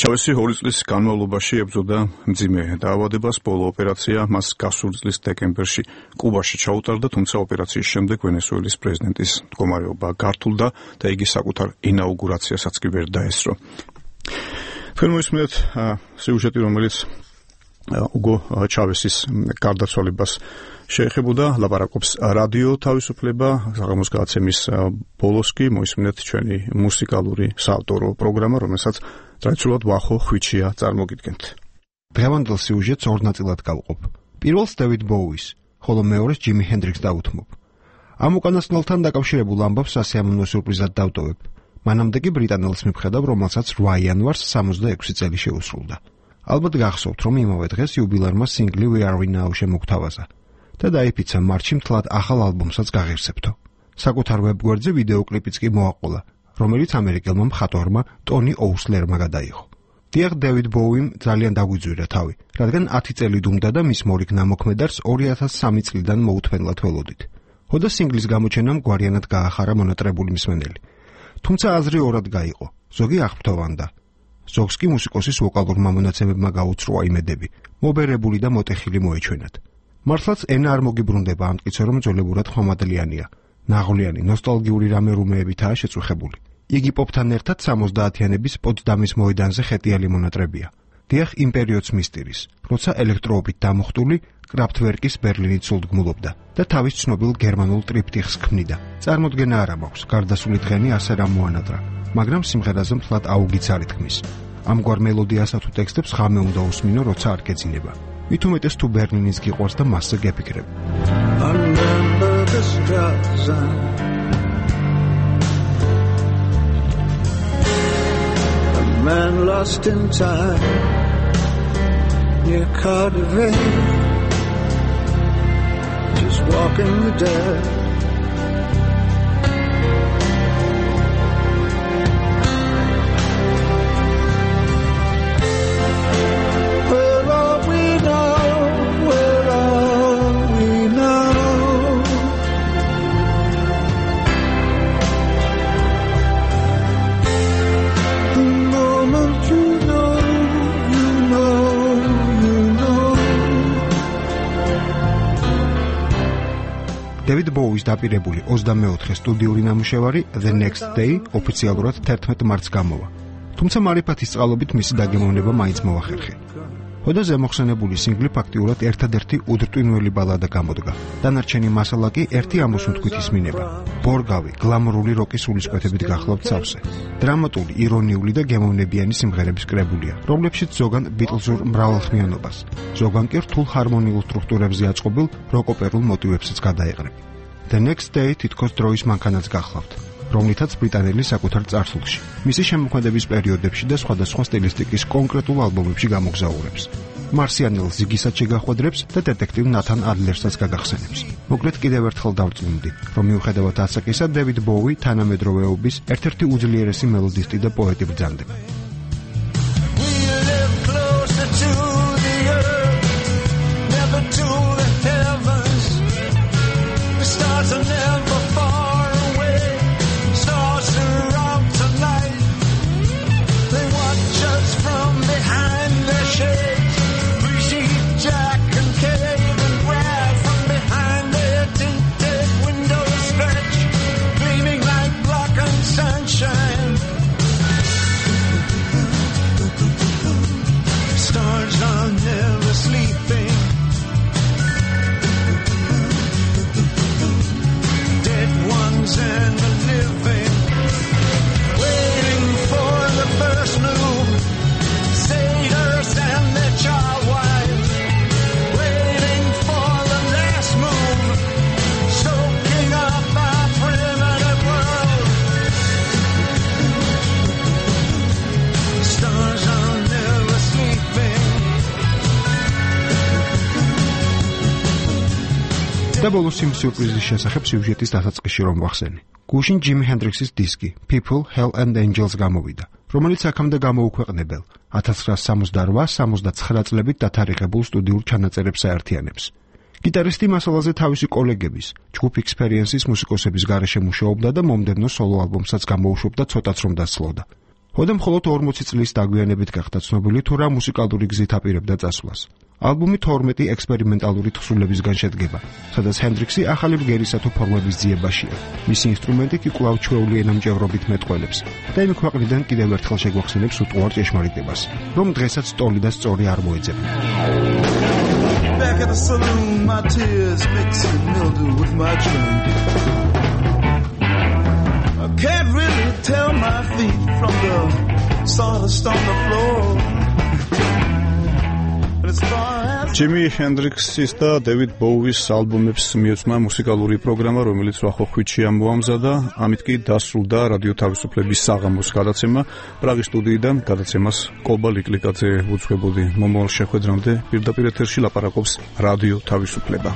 ჩავესი 2 წლის განმავლობაში ებრძოდა მძიმე დაავადებას. ბოლო ოპერაცია მას გასული წლის დეკემბერში კუბაში ჩაუტარდა, თუმცა ოპერაციის შემდეგ ვენესუელის პრეზიდენტის მდგომარეობა გართულდა და იგი საკუთარ ინაუგურაციასაც კი ვერ დაესწრო. თქვენ მოისმინეთ სიუჟეტი, რომელიც უგო ჩავესის გარდაცვალებას შეეხებოდა, ლაპარაკობს რადიო თავისუფლება. საღამოს გადაცემის ბოლოს კი მოისმინეთ ჩვენი მუსიკალური საავტორო პროგრამა, რომელსაც ტრადიციულად ვახო ხვიჩია წარმოგიდგენთ. დღევანდელ სიუჟეტს ორ ნაწილად გავყოფ. პირველს დევიდ ბოუის, ხოლო მეორეს ჯიმი ჰენდრიქსს დავუთმობ. ამ უკანასკნელთან დაკავშირებულ ამბავს სასიამოვნო სიურპრიზად დავტოვებ. მანამდე კი ბრიტანელს მივხედავ, რომელსაც 8 იანვარს 66 წელი შეუსრულდა. ალბათ გახსოვთ, რომ იმავე დღეს იუბილარმა სინგლი We Are Now შემოგთავაზა და დაიფიცა მარტში მთლად ახალ ალბომსაც გაღირსებთო. საკუთარ ვებგვერდზე ვიდეოკლიპიც კი მოაყოლა, რომელიც ამერიკელმა მხატვარმა ტონი ოუსლერმა გადაიღო. დიახ, დევიდ ბოუიმ ძალიან დაგვიძვირა თავი, რადგან 10 წელი დუმდა და მის მორიგ ნამოქმედარს 2003 წლიდან მოუთმენლად ველოდით. ხოდა სინგლის გამოჩენამ გვარიანად გაახარა მონატრებული მსმენელი. თუმცა აზრი ორად გაიყო, ზოგი აღფრთოვანდა. ზოგს კი მუსიკოსის ვოკალურმა მონაცემებმა გაუცროა იმედები, მობერებული და მოტეხილი მოეჩვენათ. მართლაც ენა არ მოგიბრუნდება ამტკიცე, რომ ძოლებურად ხომადლიანია. ნაღვლიანი, ნოსტალგიური რამე-რუმეებითაა შეწუხებული. იგი პოპთან ერთად 70-იანების პოტსდამის მოედანზე ხეტიალი მონატრებია. დიახ, იმ პერიოდს მისტირის, როცა ელექტროობით დამუხტული კრაფტვერკის ბერლინით სულდგმულობდა და თავის ცნობილ გერმანულ ტრიპტიხს ქმნიდა. წარმოდგენა არ მაქვს, გარდასული დღენი ასე რა მოანატრა, მაგრამ სიმღერაზე მთლად აუგიც არ ითქმის. ამგვარ მელოდიასა თუ ტექსტებს ხამე უნდა უსმინო, როცა არ გეძინება. მით უმეტეს თუ ბერლინის გიყვარს და მასზე გეფიქრებ. Man lost in time near Cardiff, just walking the dead. Where are we now? Where are we now? The moment you know, you know, you know. დევიდ ბოუის დაპირებული 24 სტუდიური ნამუშევარი The Next Day ოფიციალურად 11 მარტს გამოვა. თუმცა მარიფათის წყალობით მისი დაგემოვნება მაინც მოახერხე. ხოდა ზემოხსენებული სინგლი ფაქტიურად ერთადერთი უდრტვინველი ბალადა გამოდგა. დანარჩენი მასალა კი ერთი ამოსუნთქვით ისმინება. ბორგავი, გლამურული როკის სულისკვეთებით გახლავთ სავსე. დრამატული, ირონიული და გემოვნებიანი სიმღერების კრებულია, რომლებშიც ზოგან ბიტლზურ მრავალხმიანობას, ზოგან კი რთულ ჰარმონიულ სტრუქტურებზე აწყობილ როკ-ოპერულ მოტივებსაც გადაეყრება. The Next Day თითქოს დროის მანქანაც გახლავთ, რომლითაც ბრიტანელი საკუთარ წარსულში, მისი შემოქმედების პერიოდებში და სხვადასხვა სტილისტიკის კონკრეტულ ალბომებში გამოგზაურებს. მარსიანელს ზიგისაც შეგახვედრებს და დეტექტივ ნათან ადლერსაც გაგახსენებს. მოკლედ კიდევ ერთხელ დავწუნდი, რომ მიუხედავად ასაკისა, დევიდ ბოუი თანამედროვეობის ერთ-ერთი უძლიერესი მელოდისტი და პოეტი ბრძანდება. Stars და ბოლოს იმ სიურპრიზის შესახებ სიუჟეტის დასაწყისში რომ ვახსენე. გუშინ ჯიმი ჰენდრიქსის დისკი People, Hell and Angels გამოვიდა, რომელიც აქამდე გამოუქვეყნებელ 1968-79 წლებით დათარიღებულ სტუდიურ ჩანაწერებს აერთიანებს. გიტარისტი მასალაზე თავისი კოლეგების, ჯგუფ Experience-ის მუსიკოსების გარეშე მუშაობდა და მომდევნო სოლო ალბომსაც გამოუშვებდა ცოტაც რომ დასწლოდა. ხოდა მხოლოდ 40 წლის დაგვიანებით გახდა ცნობილი თუ რა მუსიკალური გზით აპირებდა წასვლას. ალბომი 12 ექსპერიმენტალური თხზულებისგან შედგება, სადაც ჰენდრიქსი ახალი ბგერისა თუ ფორმების ძიებაშია. მისი ინსტრუმენტი კი კვლავ ჩვეული ენამჭევრობით მეტყველებს და იმ ქვეყნიდან კიდევ ერთხელ შეგვახსენებს უტყუარ ჭეშმარიტებას, რომ დღესაც ტოლი და სწორი არ მოეძებნა. Back at the saloon, my tears mixing mildew with my drink. I can't really tell my feet from the sawdust on the floor. ჯიმი ჰენდრიქსის და დევიდ ბოუის ალბომებს მიეწვნა მუსიკალური პროგრამა, რომელიც ვახოხვითში ამოამზადა, ამით კი დასრულდა რადიო თავისუფლების საღამოს გადაცემა. პრაღის სტუდიიდან გადაცემას კობა ლიკლიკაძე უძღვებოდი. მომავალ შეხვედრამდე პირდაპირ ეთერში ლაპარაკობს რადიო თავისუფლება.